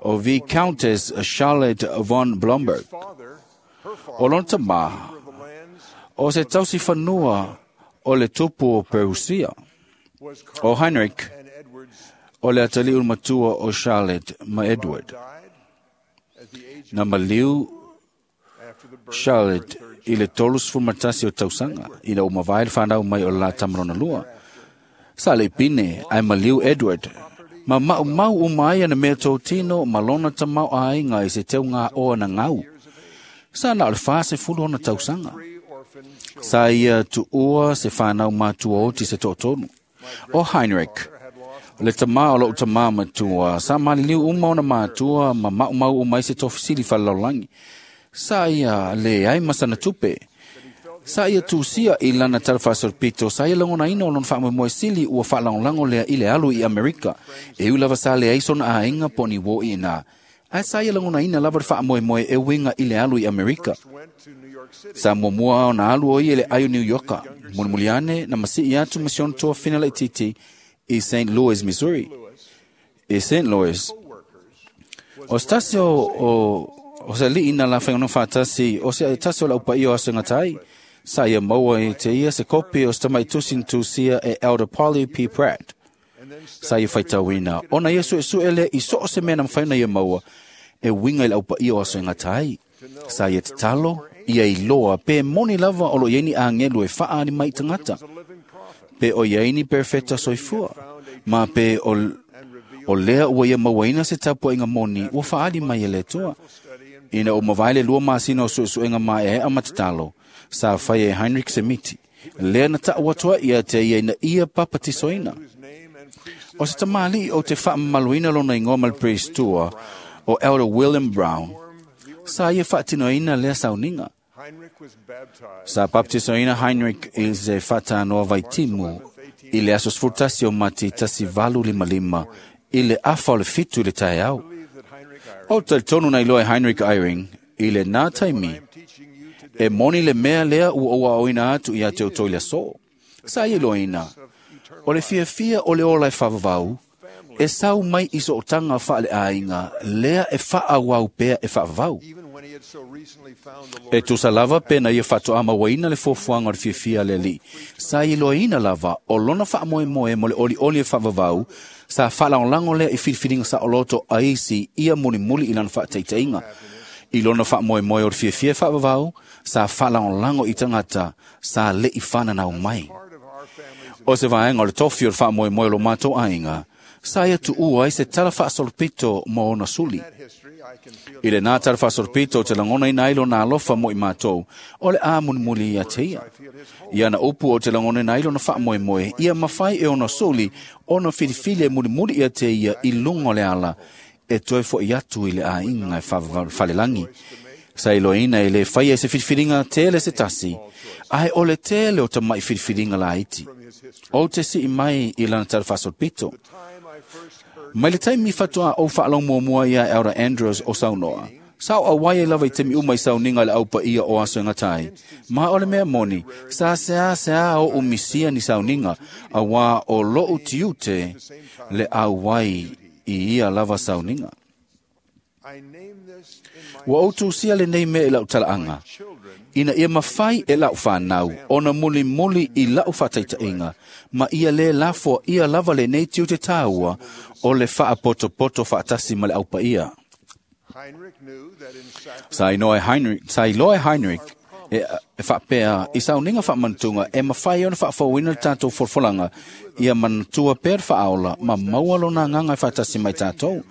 o Viscountess Charlotte von Blomberg. O lona tamā, o se tausi whanua o le tupu o Perusia. O Heinrich, o le atali matua o Charlotte ma Edward. Na maliu Charlotte i le 31 o tausaga ina ua mavae le fanau mai o le la tamalona lua. Sa le pine ai maliu Edward ma maumau uma ai ana mea tōtino ma lona tamau aiga i se teu ngā oa na ngau. Sa na o le 40 ona tausaga. Sa ia tuua se whanau matua oti se toatonu. O Heinrich, le tamā o lou tamā matua, sa maliliu uma ona matua ma maumau uma i se tofisili falalaulagi. Sa ia le ai masana tupe. Sa ia tusia i lana talafaasolopito, sa ia lagonaina o lona faamoemoe sili ua faalagolago lea i le alu i Amerika. E ui lava sa leai sona aiga po o ni uō iinā. Ae sa ia lagonaina lava le faamoemoe e uiga i le alu i Amerika. Sa muamua ona alu o ia i le ai o New Yorka. Mulimuli ane na masii atu ma si ona toafina laitiiti i St. Louis, Missouri. I St. Louis, o se tasi o se alii na la whaingono whaatasi, o se tasi o lau paia o aso ngatai, sa ia maua e te ia se kopi o se tamai tusi na tusia e Elder Polly P. Pratt. Sa ia whaitauina, ona ia sue sue le i so o se mea na mwhaina ia maua, e winga i lau paia o aso ngatai. Sa ia te talo, ia i loa, pe moni lava o lo ieni angelu e whaa ni mai tangata. Pe o iaini perfecta soifua, ma pe o lea ua ia mauaina se tapuaiga moni ua faali mai e le Atua. Ina o mavae le 2 masina o suesuega maeaea ma tatalo, sa fai e Heinrich Semiti, lea na ta'u atu ai ia te ia ina ia papatisoina. O se tamalii o te faamamaluina lona igoa ma le Priestua o Elder William Brown, sa ia faatinoina lea sauniga. Sa baptisoina Heinrich i se faatanoa vaitimu i le aso 11 o Mati 1855 i le afa o le 7 i le taeao. O talitonu na iloa e Heinrich Eyring i le nā taimi e moni le mea lea ua ou aoina atu ia te outou i le aso. Sa ia iloaina, o le fiafia o le ola e faavavau, e sau mai i sootaga faaleaiga lea e faaauau pea e faavavau. E tusa lava pe na ia faatoa mauaina le fuafuaga o le fiafia a le Alii, sa iloaina lava o lona faamoemoe mo le olioli e faavavau, sa faalagolago lea i filifiliga saoloto a isi ia mulimuli i lana faataitaiga. I lona faamoemoe o le fiafia e faavavau, sa faalagolago i tagata sa le'i fananau mai. O se vaega o le tofi o le faamoemoe o lo matou aiga, sa ia tuua ai se tala faasolopito mo ona suli. I lenā tala faasolopito o te lagonaina ai lona alofa mo i matou, o le a mulimuli ia te ia. Ia na upu o te lagonaina ai lona faamoemoe, ia mafai e ona suli ona filifili e mulimuli ia te ia i luga o le ala, e toe fo'i atu i le aiga e falelagi. Sa iloaina e le faia e se filifiliga tele se tasi, ae o le tele o tama'i filifiliga laiti. O te si'i mai i lana tala faasolopito. Mai le taimi faatoa ou faalogo ia Elder Andrews o saunoa, sa o auai ai lava i taimi uma i sauniga i le aupaia o aso e gata ai. Ma o le mea moni, sa seā oʻu misia ni sauniga, auā o loʻu tiute le auai i ia lava sauniga. Ua ou tusia lenei mea i la'u talaaga, ina ia mafai e la'u fanau ona mulimuli i la'u faataitaiga, ma ia lē lafoa ia lava lenei tiute tāua o le faapotopoto faatasi ma le aupaia. Sa iloa e Heinrich e faapea i sauniga faamanutuga e mafai ona faafouina le tatou folafolaga ia manatua pea le faaola ma maua lona agaga e faatasi mai tatou.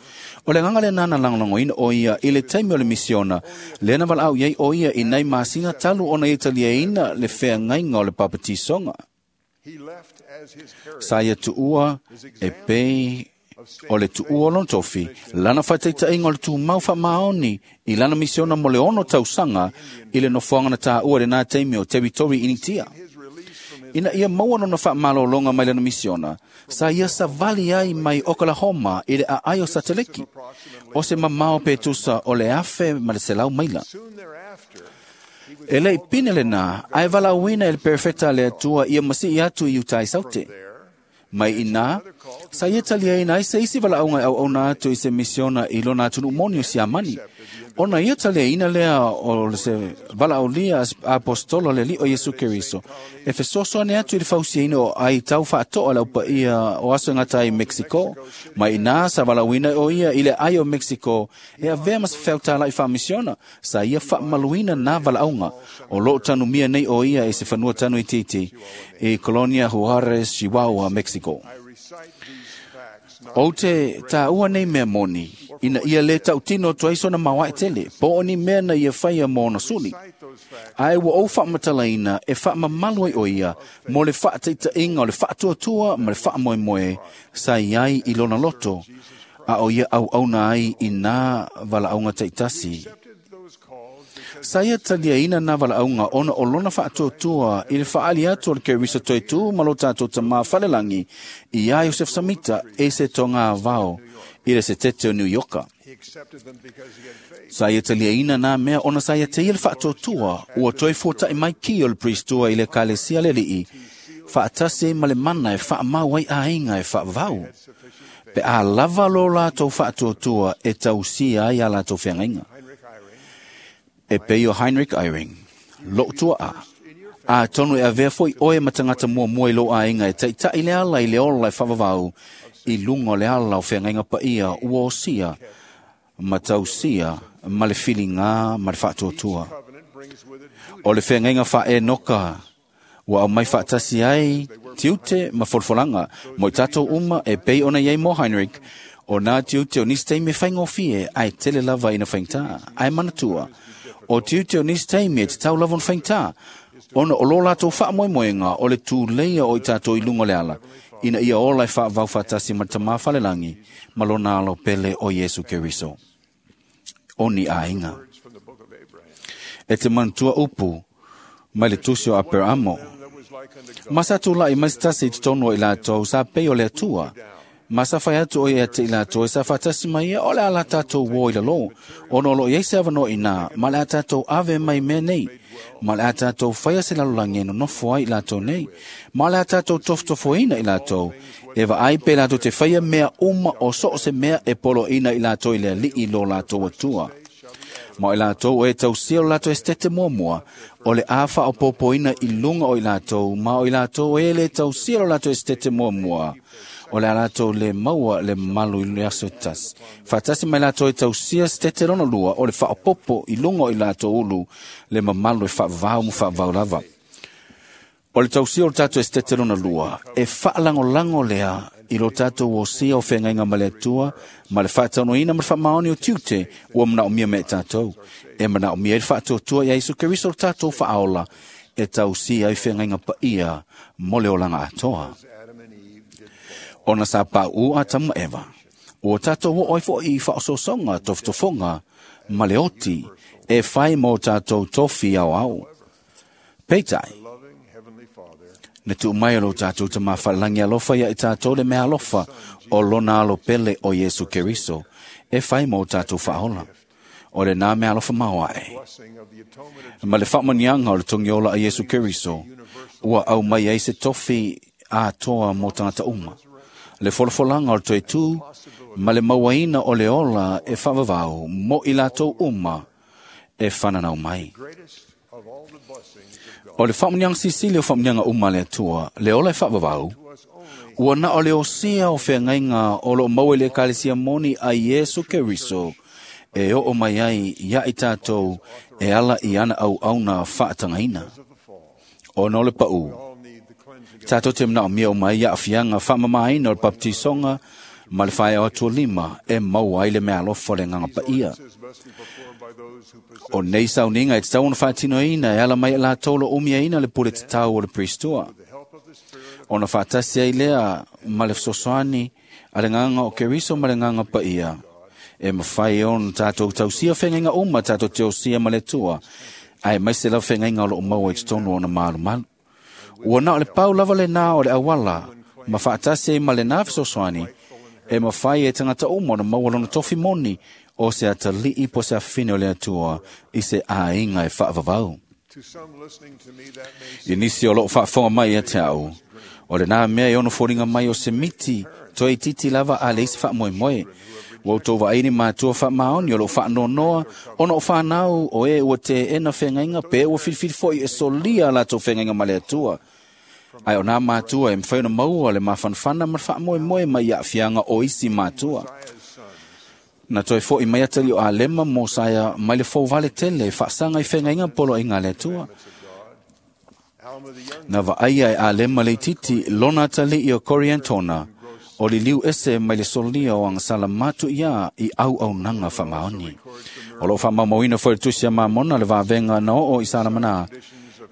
O le agaga lenā na lagolagoina o ia i le taimi o le misiona, lea na valaau i ai o ia i nai masina talu ona ia taliaina le feagaiga o le papatisoga. Sa ia tuua e pei o le tuua o lona tofi, lana faataitaiga o le tumau faamaoni i lana misiona mo le 6 tausaga i le nofoaga na tāua lenā taimi o Teritori Initia. Ina ia maua lona faamalologa mai lana misiona, sa ia savali ai mai Oklahoma i le aai o Sateleki, o se mamao pe tusa o le 1,100 maila. E le'i pine lenā, ae valaauina e le perefeta a le Atua ia masi'i atu i uta i Saute. Mai inā, sa ia taliaina ai se isi valaauga e auauna atu i se misiona i lona atunuu moni o Siamani. Ona ia taliaina lea o se valaaulia apostolo le Alii o Iesu Keriso, e fesoasoani atu i le fausiaina o ai tau faatoa le aupaia o aso e gata ai i Mexico. Mai inā sa valaauina o ia i le ai o Mexico e avea ma se feautala'i faamisiona, sa ia faamaluina nā valaauga. O loo tanumia nei o ia i se fanua tanu itiiti i Colonia Juarez, Chihuahua, Mexico. O te tāua nei mea moni, ina ia le tautino atu ai sona maoae tele, po o ni mea na ia faia mo ona suli. Ae ua ou faamatalaina e faamamalu ai o ia mo le faataitaiga o le faatuatua ma le faamoemoe sa i ai i lona loto, a o ia auauna ai i nā valaauga taitasi. Sa ia taliaina nā valaauga ona o lona faatuatua i le faaali atu o le Keriso toetū ma lo tatou tamā falelagi i ia Iosef Samita e se toga vao i le setete o New Yorka. Sa ia taliaina nā mea ona sa ia teia le faatuatua ua toe fuata'i mai ki o le Priestua i le Ekalesia le Alii, faatasi ma le mana e faamau ai aiga e faavavau. Pe a lava lo latou faatuatua e tausia ai a latou feagaiga. E pei o Heinrich Eyring, lo'u tua'a, a tonu e avea fo'i oe ma tagata muamua i lou aiga e taita'i le ala i le ola e faavavau i luga o le ala o feagaiga paia ua osia ma tausia ma le filigā ma le faatuatua. O le feagaiga faaenoka ua aumai faatasi ai tiute ma folafolaga mo i tatou uma e pei ona iai mo Heinrich, O nā tiute o nisi taimi e faigofie, ae tele lava ina faigata, ae manatua. O tiute o nisi taimi e tatau lava ona faigata, ona o lo latou faamoemoega o le tuleia o i tatou i luga o le ala, ina ia ola e faavavau faatasi ma le Tamā Falelagi ma lona alo pele o Iesu Keriso. O ni aiga. E te manatua upu mai le tusi o Aperamo. Ma sa tula'i mai se tasi i totonu o i latou sa pei o le Atua. Ma sa fai atu o ia te i latou e sa faatasi mai ia o le a la tatou uō i lalō, ona o loo i ai se avanoa iinā, ma le a tatou ave mai mea nei, ma le a tatou faia se lalolagi e nonofo ai i latou nei, ma le a tatou tofotofoina i latou, e vaai pe latou te faia mea uma o so o se mea e poloaiina i latou i le Alii lo latou Atua. Ma o i latou o e tausia o latou esetete muamua, o le a faaopoopoina i luga o i latou, ma o i latou e le tausia lo latou esetete muamua, o le a latou le maua le mamalu i le aso e tasi. Faatasi mai latou e tausia setete lona lua o le faaopoopo i luga o i latou ulu le mamalu e faavavau ma faavavau lava. O le tausia o le tatou esetete lona lua, e faalagolago lea i lo tatou osia o feagaiga ma le Atua, ma le faataunuuina ma le faamaoni o tiute ua manaomia mea i tatou. E manaomia ai le faatuatua ia Iesu Keriso le tatou faaola, e tausia ai feagaiga paia mo le olaga atoa. Ona sa pauu Atamu ma Eva, ua tatou oo ai foi i faaosoosoga, tofotofoga ma le oti e fai ma o tatou tofi aoao. Peitai, na tuu mai e lo tatou Tamā Falelagi alofa ia i tatou le meaalofa o lona alo pele o Iesu Keriso e fai ma o tatou faaola. O lenā meaalofa maoae. Ma le faamanuiaga o le togiola a Iesu Keriso, ua aumai ai se tofi atoa mo tagata uma. Le folafolaga o le toe tū ma le mauaina o le ola e faavavau mo i latou uma e fananau mai. O le faamanuiaga silisili o faamanuiaga uma a le Atua, le ola e faavavau, ua na o le osia o feagaiga o loo maua i le Ekalesia moni a Iesu Keriso e oo mai ai ia i tatou e ala i ana auauna faatagaina. Ona o le paū, tatou te manaomia uma ai aafiaga faamamaina o le baptisoga ma le faeao atu o lima e maua ai le meaalofa o le Agaga Paia. O nei sauniga e tatau ona faatinoina e ala mai i latou o lo o umiaina le pule tatau o le Priestua. Ona faatasi ai lea ma le fesoasoani a le Agaga o Keriso ma le Agaga Paia, e mafai ona tatou tausia feagaiga uma tatou te osia ma le Atua, aemaise lava feagaiga o loo maua i totonu o ona malumalu. Ua na o le pau lava lenā o le auala, ma faatasi ai ma lenā fesoasoani, e mafai e tagata uma ona maua lona tofi moni o se atalii po o se afafine o le Atua i se aiga e faavavau. I nisi o loo faafofoga mai ia te au, o lenā mea e ono foliga mai o se miti toe itiiti lava a leai se faamoemoe. Ua outou vaai ni matua faamaoni o loo faanoanoa ona o fanau o e ua teena feagaiga pe ua filifili foi e solia a latou feagaiga ma le Atua. Ae o nā matua e mafai ona maua le mafanafana ma le faamoemoe mai i aafiaga o isi matua. Na toe fo'i mai atalii o Alema ma Mosaia mai le fouvale tele e faasaga i feagaiga poloaiga a le Atua. Na vaaia e Alema le itiiti lona atalii o Koriantona, o liliu ese mai le solia o agasala matuiā i auaunaga faamaoni. O loo faamaumauina foi le tusi a Mamona le vavega na oo i Salamanā,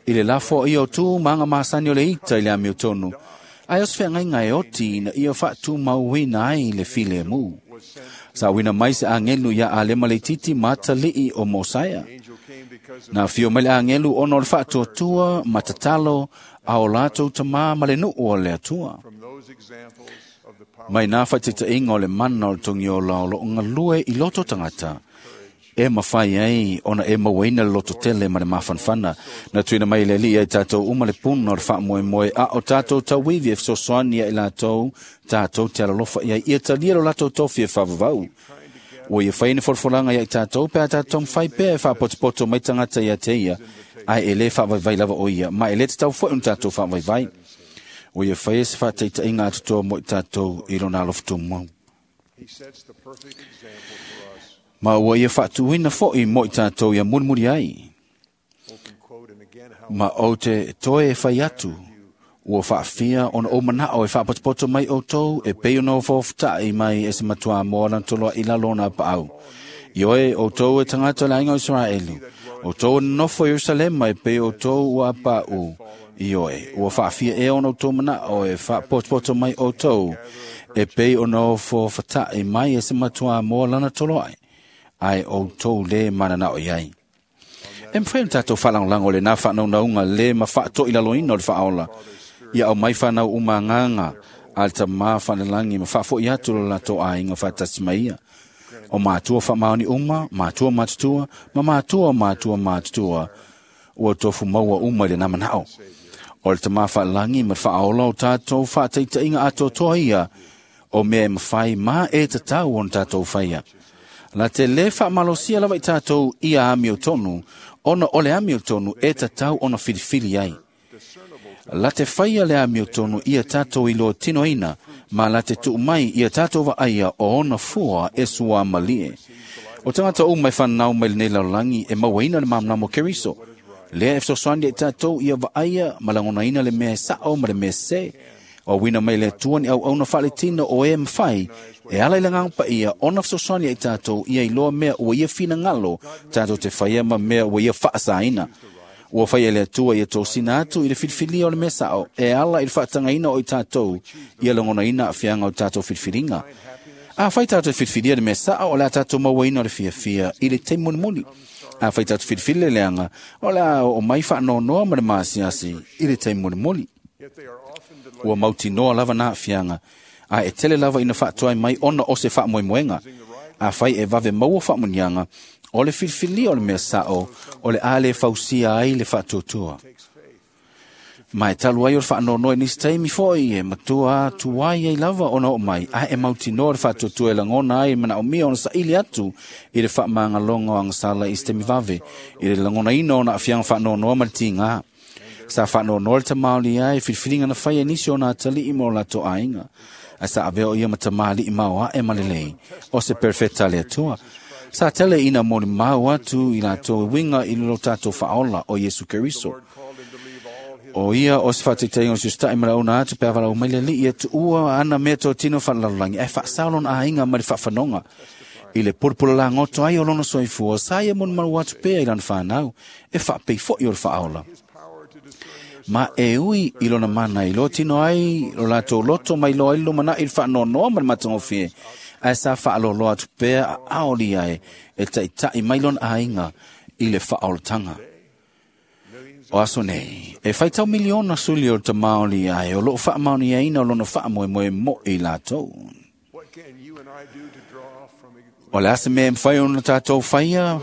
i le lafoaia o tu ma aga masani o le ita i le amiotonu, ae o se feagaiga e oti ina ia faatumauina ai le filemu. Sa auina mai se agelu ia Alema le itiiti ma atalii o Mosaia. Na afio mai le agelu ona o le faatuatua ma tatalo a o latou tamā ma le nuu o le Atua. Mai nā faataitaiga o le mana o le togiola o loo galue i loto tagata, e mafai ai ona e mauaina le loto tele ma le mafanafana. Na tuuina mai e le Alii ai tatou uma le puna o le faamoemoe a o tatou tauivi e fesoasoani ia i latou tatou te alolofa i ai ia talia lo latou tofi e faavavau. Ua ia fai ni folafolaga ia i tatou pe a tatou taumafai pea e faapotopoto mai tagata ia te ia, ae e lē faavaivai lava o ia, ma e lē tatau foi ona tatou faavaivai. Ua ia faia se faataitaiga atotoa mo i tatou i lona alofa tumau. Ma ua ia faatuina foi mo i tatou ia mulimuli ai. Ma ou te toe e fai atu, Ua whaafia ona o manao e whaapotopoto mai o tau e pei ona o fofuta'i mai e se matua moa lana toloa i lalo ona paau. Ioe o tau e tangata le aiga o Israelu. O tau nofo Yerusalema e pei o tau ua pa'u. Ioe, ua whaafia e ona o tau manao e whaapotopoto mai o tau e pei ona o fofuta'i mai e se matua moa lana toloa ai o tau le mananao iai. E mwhai tātou whalangolango le nā whanaungaunga le ma whaatoi laloina o le whaola. Ia au mai whanau umanganga a le tamā whanalangi ma whaafoi atu lo lato ainga whatasi maia. O mātua whamaoni uma, mātua mātutua, ma mātua mātua mātutua, ua tofu maua uma i le namanao. O le tamā whalangi ma whaola o tātou whaataitainga atoatoa ia, o mea e mawhai mā e tatau o tātou whaia. La te le whaamalosia lava i tātou ia amio tonu, ona o le amio tonu e tatau ona whiriwhiri ai. La te whaia le amio tonu ia tātou i loa tino ina, ma la te tuu mai ia tātou wa aia o ona fua e sua malie. O tangata o mai whanau mai lenei laulangi e mauaina le mamnamo Keriso. Lea e fesoasoani e tātou ia vaaia malangona ina le mea e sao ma le mea se. O wina mai le tuani au auna whaaletina o e mwhai, e ala i langang pa ia ona fesoasoani e tātou ia i loa mea ua ia whina ngalo, tātou te whaia ma mea ua ia whaasaina. Ua whaia le atua ia tō sina atu i le whiriwhiria o le mea sao, e ala i le whaatangaina o i tātou, ia langona ina a whianga o tātou whiriwhiringa. A whai tātou whiriwhiria le mea sao o le a tātou mauaina o le whiawhia i le te munimuni. A whai tātou whiriwhiri le leanga o le a o mai whaanonoa ma le maasiasi i le te munimuni. Ua mauti noa lava nā whianga, a e tele lava ina whaatuai mai ona o se whaamoemoenga, a whai e vave maua whaamunianga, o le whiriwhiria o le mea sao, o le ale fausia ai le whaatuatua. Mai talu ai o le whaanonoa nisi taimi foi e matua tuai ai lava ona o mai, a e mauti noa le whaatuatua e langona ai mana o mia ona saili atu i le whaamanga o angasala i se vave, i le langona ina ona awhianga whaanonoa ma le tinga. Sa whaanonoa le tamaoli ai, whiriwhiringa na whai e nisi o nā tali i mō lato ainga. A sa aveo ia matamali i maua e malelei, o se perfecta le atua. Sa tele ina moni mau atu i lato winga i lo tātou whaola o Yesu Keriso. O ia o se whaatiteinga o sustai mara una atu pe awala o maile li ia tuua ana mea tō tino whalalalolangi. E whaasaolon a inga mari whawhanonga. I le purpura la ngoto ai o lono soifua, sa ia moni maru atu pea i lana whanau, e whaapei foi o le whaola. Ma e ui i lona mana i lo tino ai, lo lato loto mai lo ai lo mana i whaanonoa ma le matangofie. Ae sa whaaloloa atu pea a aoli ai e taitai mai lona ainga i le whaolatanga. O aso nei, e whaitau miliona suli o te maoli ai o loo whaamaoni aina o lona whaamoemoe mo i lātou. O le asa mea mwhai ona tātou whaia,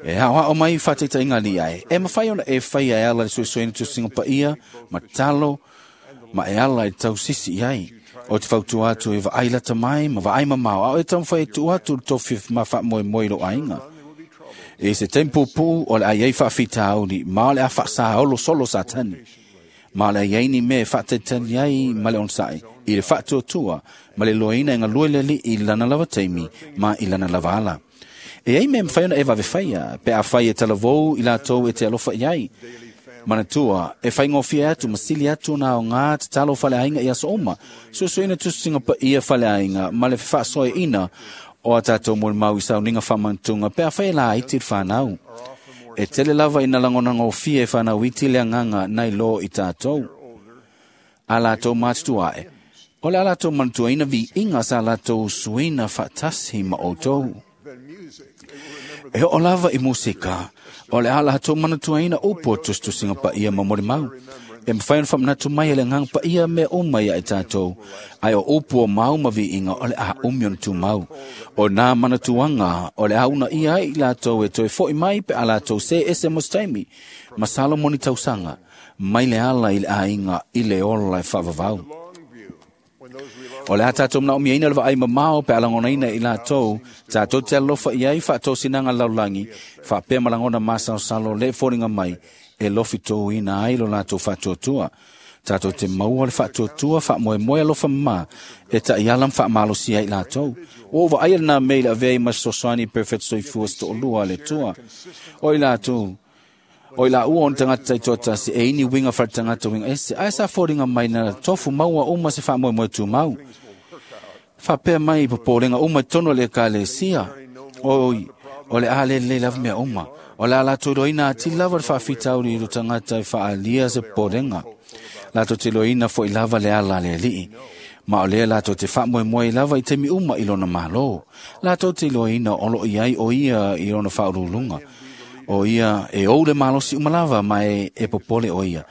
e hao hao mai whateita ingali ai. E mwhai ona e whaia e ala le suesuena tusinga paia, ma talo, ma e ala e tau sisi ai. O te whautu atu e vaai lata mai, ma vaai mamao, au e tau whai tu atu le tofi ma whaamoemoe lo ainga. E se tempo pū o le ai ai whaawhita auri, ma le a whaasa olo solo satani. Ma le ai ni me whaatetani ai ma le onsai, i le whaatuatua, ma le loina e ngā lueleli i lana lava teimi, ma i lana lava ala. E ai me mwhaiona e wawe whaia, pe a whai e talavou i lātou e te alofa i ai. Manatua, e whai ngōwhia atu, masili atu nā o ngā te talo whale ainga i aso oma. Suesuena tusinga pa ia whale ainga, ma le whaasoe ina, o a tātou mo le mau i sauninga whamantunga, pe a whai la iti whanau. E tele lava ina langona ngōwhia e whanau iti le anganga nai lo i tātou. A lātou mātutua e. O le a lātou manatua ina vi inga sa lātou suina whatasi ma o tau. E o lava i musika, o le a lātou manatua ina upo tustusinga pa ia mamori mau. E mwhai ona whamnatu mai ele ngang pa ia mea o mai ai tātou. Ai o upu o mau mavi inga o le a umi ona tū mau. O nā manatuanga o le a una ia ai lātou e toe foi mai pe a lātou se ese mostaimi. Ma Salomoni tausanga, mai le ala i le ainga i le ola e whaavavau. O le a tātou mna omia ina le vaai mamao pe alangona ina i lātou, tātou te alofa i ai whaatou sinanga laulangi, whaapea malangona masao salo le fōringa mai, e lofi tō ina ai lo lātou whaatuatua. Tātou te maua le whaatuatua, whaamoemoe alofa mā, e ta i alam whaamalosi ai lātou. O wa ai nā meila vei ma sosoani perfect soifua sto'olua le tua. O i lātou, O i la ua o ni tagata taitoatasi e ini uiga faletagata uiga ese, ae sa foliga mai na tofu maua uma se faamoemoe tumau. Faapea mai i popolega uma i totonu o le ekalesia, oi, o le a lelei lava mea uma. O le a latou iloaina atili lava le faafitauli i lo tagata e faaalia se popolega. Latou te iloaina fo'i lava le ala a le Alii. Ma o lea latou te faamoemoe lava i taimi uma i lona Malo. Latou te iloaina o loo i ai o ia i lona faauluuluga. O ia e ou le malosi uma lava ma e popole o ia.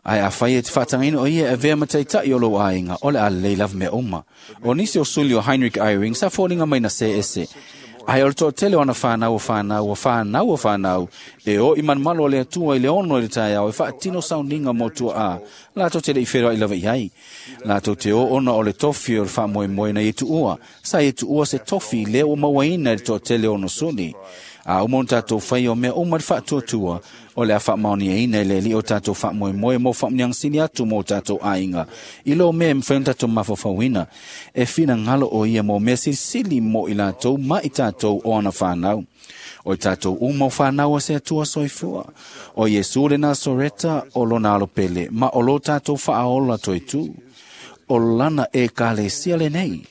Ae afai e te faatagaina o ia e avea ma taita'i o lou aiga, o le a lelei lava mea uma. O nisi o suli o Heinrich Eyring sa foliga mai na se ese. Ae o le toatele o ana whanau o whanau o whanau o whanau, e o i manumalo o le Atua i le 6 i le taeao e faatino sauniga mo tuaa, latou te le i wheroai lava i ai. Latou te o ona o le tofi o le faamoemoe na ia tuua, sa ia tuua se tofi lea ua mauaina e le toatele o ona suli. A uma ona tatou faia o mea uma i le faatuatua, o le a faamaoniaina e le Alii o tatou faamoemoe mo faamuniaga sili atu mo tatou aiga, i lo mea e mafai ona tatou mafaufauina. E finagalo o ia mo mea silisili mo i latou ma i tatou o ana whanau. O i tatou uma o whanau a se Atua soifua. O Iesu le Nasoreta o lona alo pele, ma o lo tatou faaola toetu. O lana ekalesia lenei.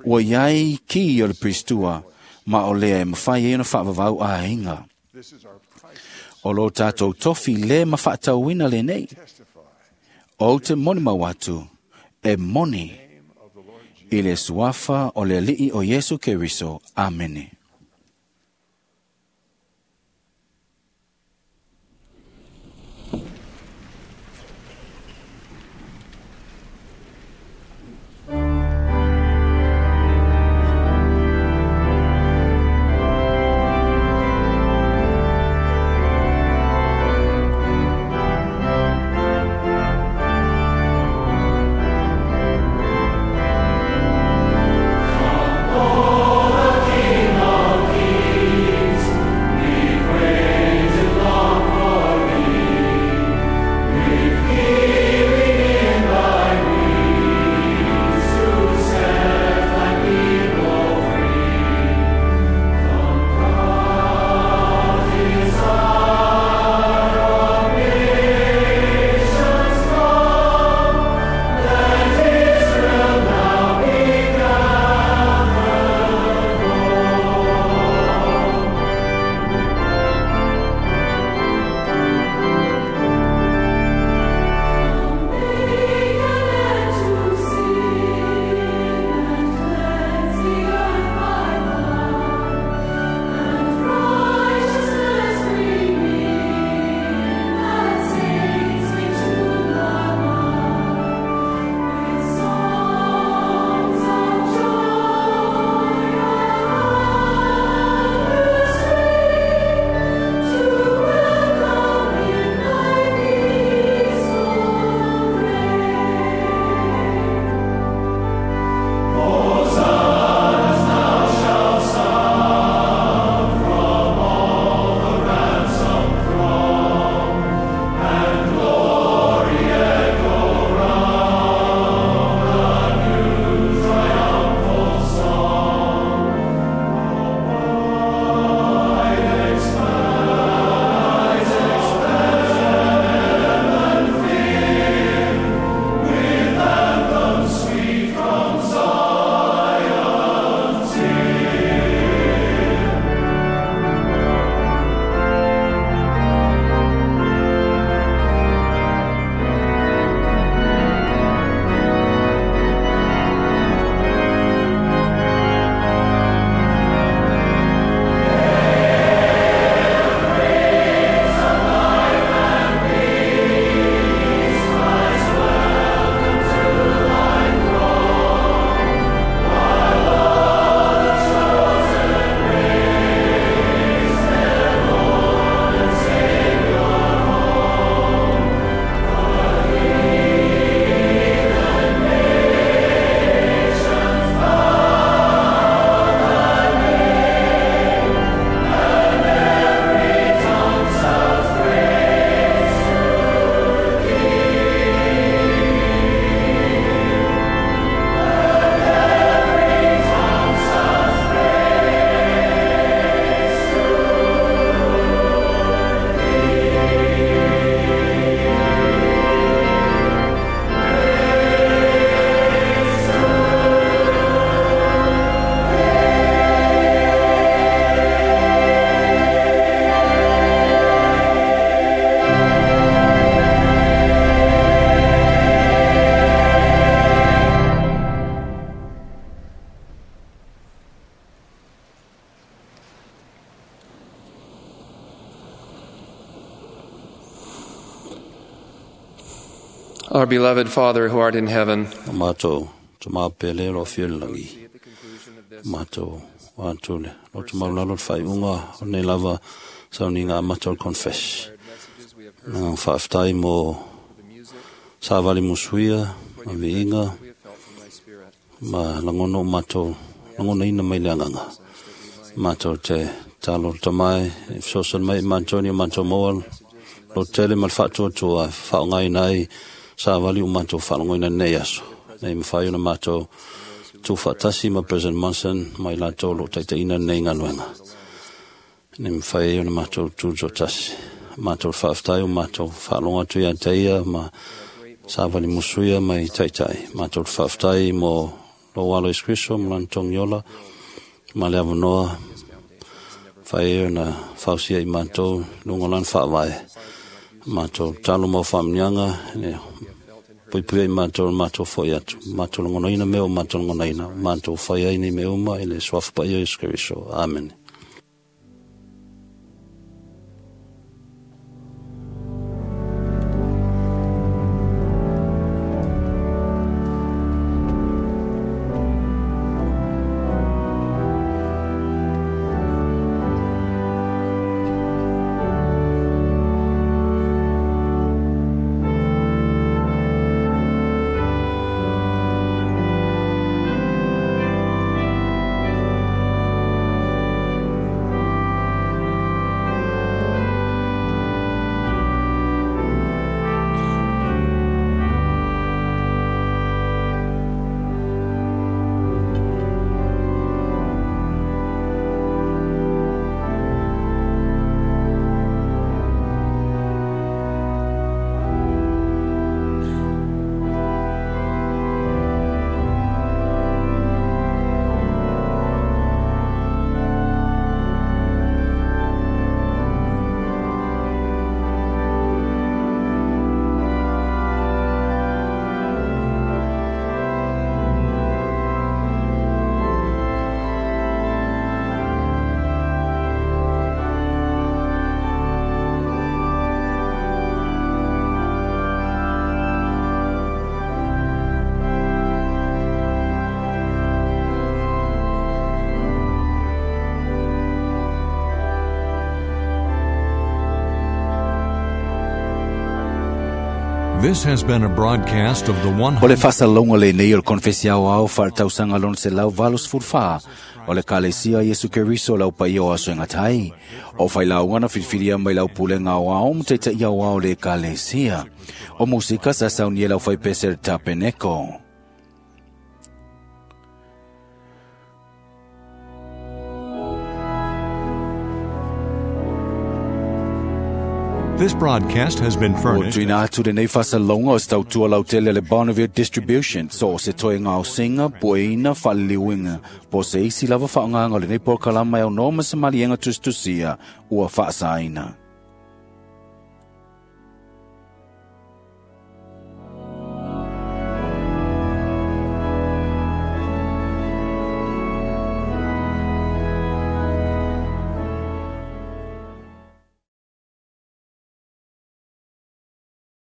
Ua iai ki o le pristua, ma o lea e mawhai e ona whaavavau aiga. O lo tatou tofi le ma whaatauina lenei. O te moni mau atu, e moni i le suafa o le Alii o Iesu Keriso. Amene. Come, O King. Our beloved Father who art in heaven, Matou tama pele lo fia le lagi. Matou atu le loto maulalo le faaiuga o lenei lava sauniga amata o le confess. Na faafetai mo savali musuia ma viiga ma lagona o matou lagonaina mai le agaga. Matou te talo le tamae e fesoasoani mai i matou ni o matou maua lo tele ma le faatuatua e faaaogaina ai savali o matou faalogoina nei aso. Nei mawhai ona mātou tūwhaatasi ma President Monson mai lātou lo taitaina nei galuega. Nei mawhai ona mātou tū tasi. Mātou whaaftai o mātou whaalonga atu ia te ia ma savali musuia mai taitai. Mātou whaaftai mo lo walo Isu Kriso ma lana togiola ma le avanoa whai ona fausia i mātou lunga lana whaavae. Mātou talo mau whaamnianga ne puipui ai mātou mātou foi atu. Mātou longonaina me o mātou longonaina. Mātou whai ai nei me uma i le suafa paia o Iesu Keriso. Amen. This has been a broadcast of the O le faasalalauga lenei o le konefesi aoao faaletausaga lona 184 o le Kalesia Iesu Keriso o le aupaia o aso e gata ai. O failauga na filifilia mai lau pulega aoao ma taita'i aoao o le Ekalesia. O musika sa saunia e le aufaipese le Tapeneko. This broadcast has been Ua furnished tuina atu lenei faasalalauga o se tautua lautele le Bonneville Distribution so o se toe gaosiga pueina faaliliuina po o se isi lava faaaogaga o lenei polokalama e aunoa ma se maliega tusitusia ua faasaina.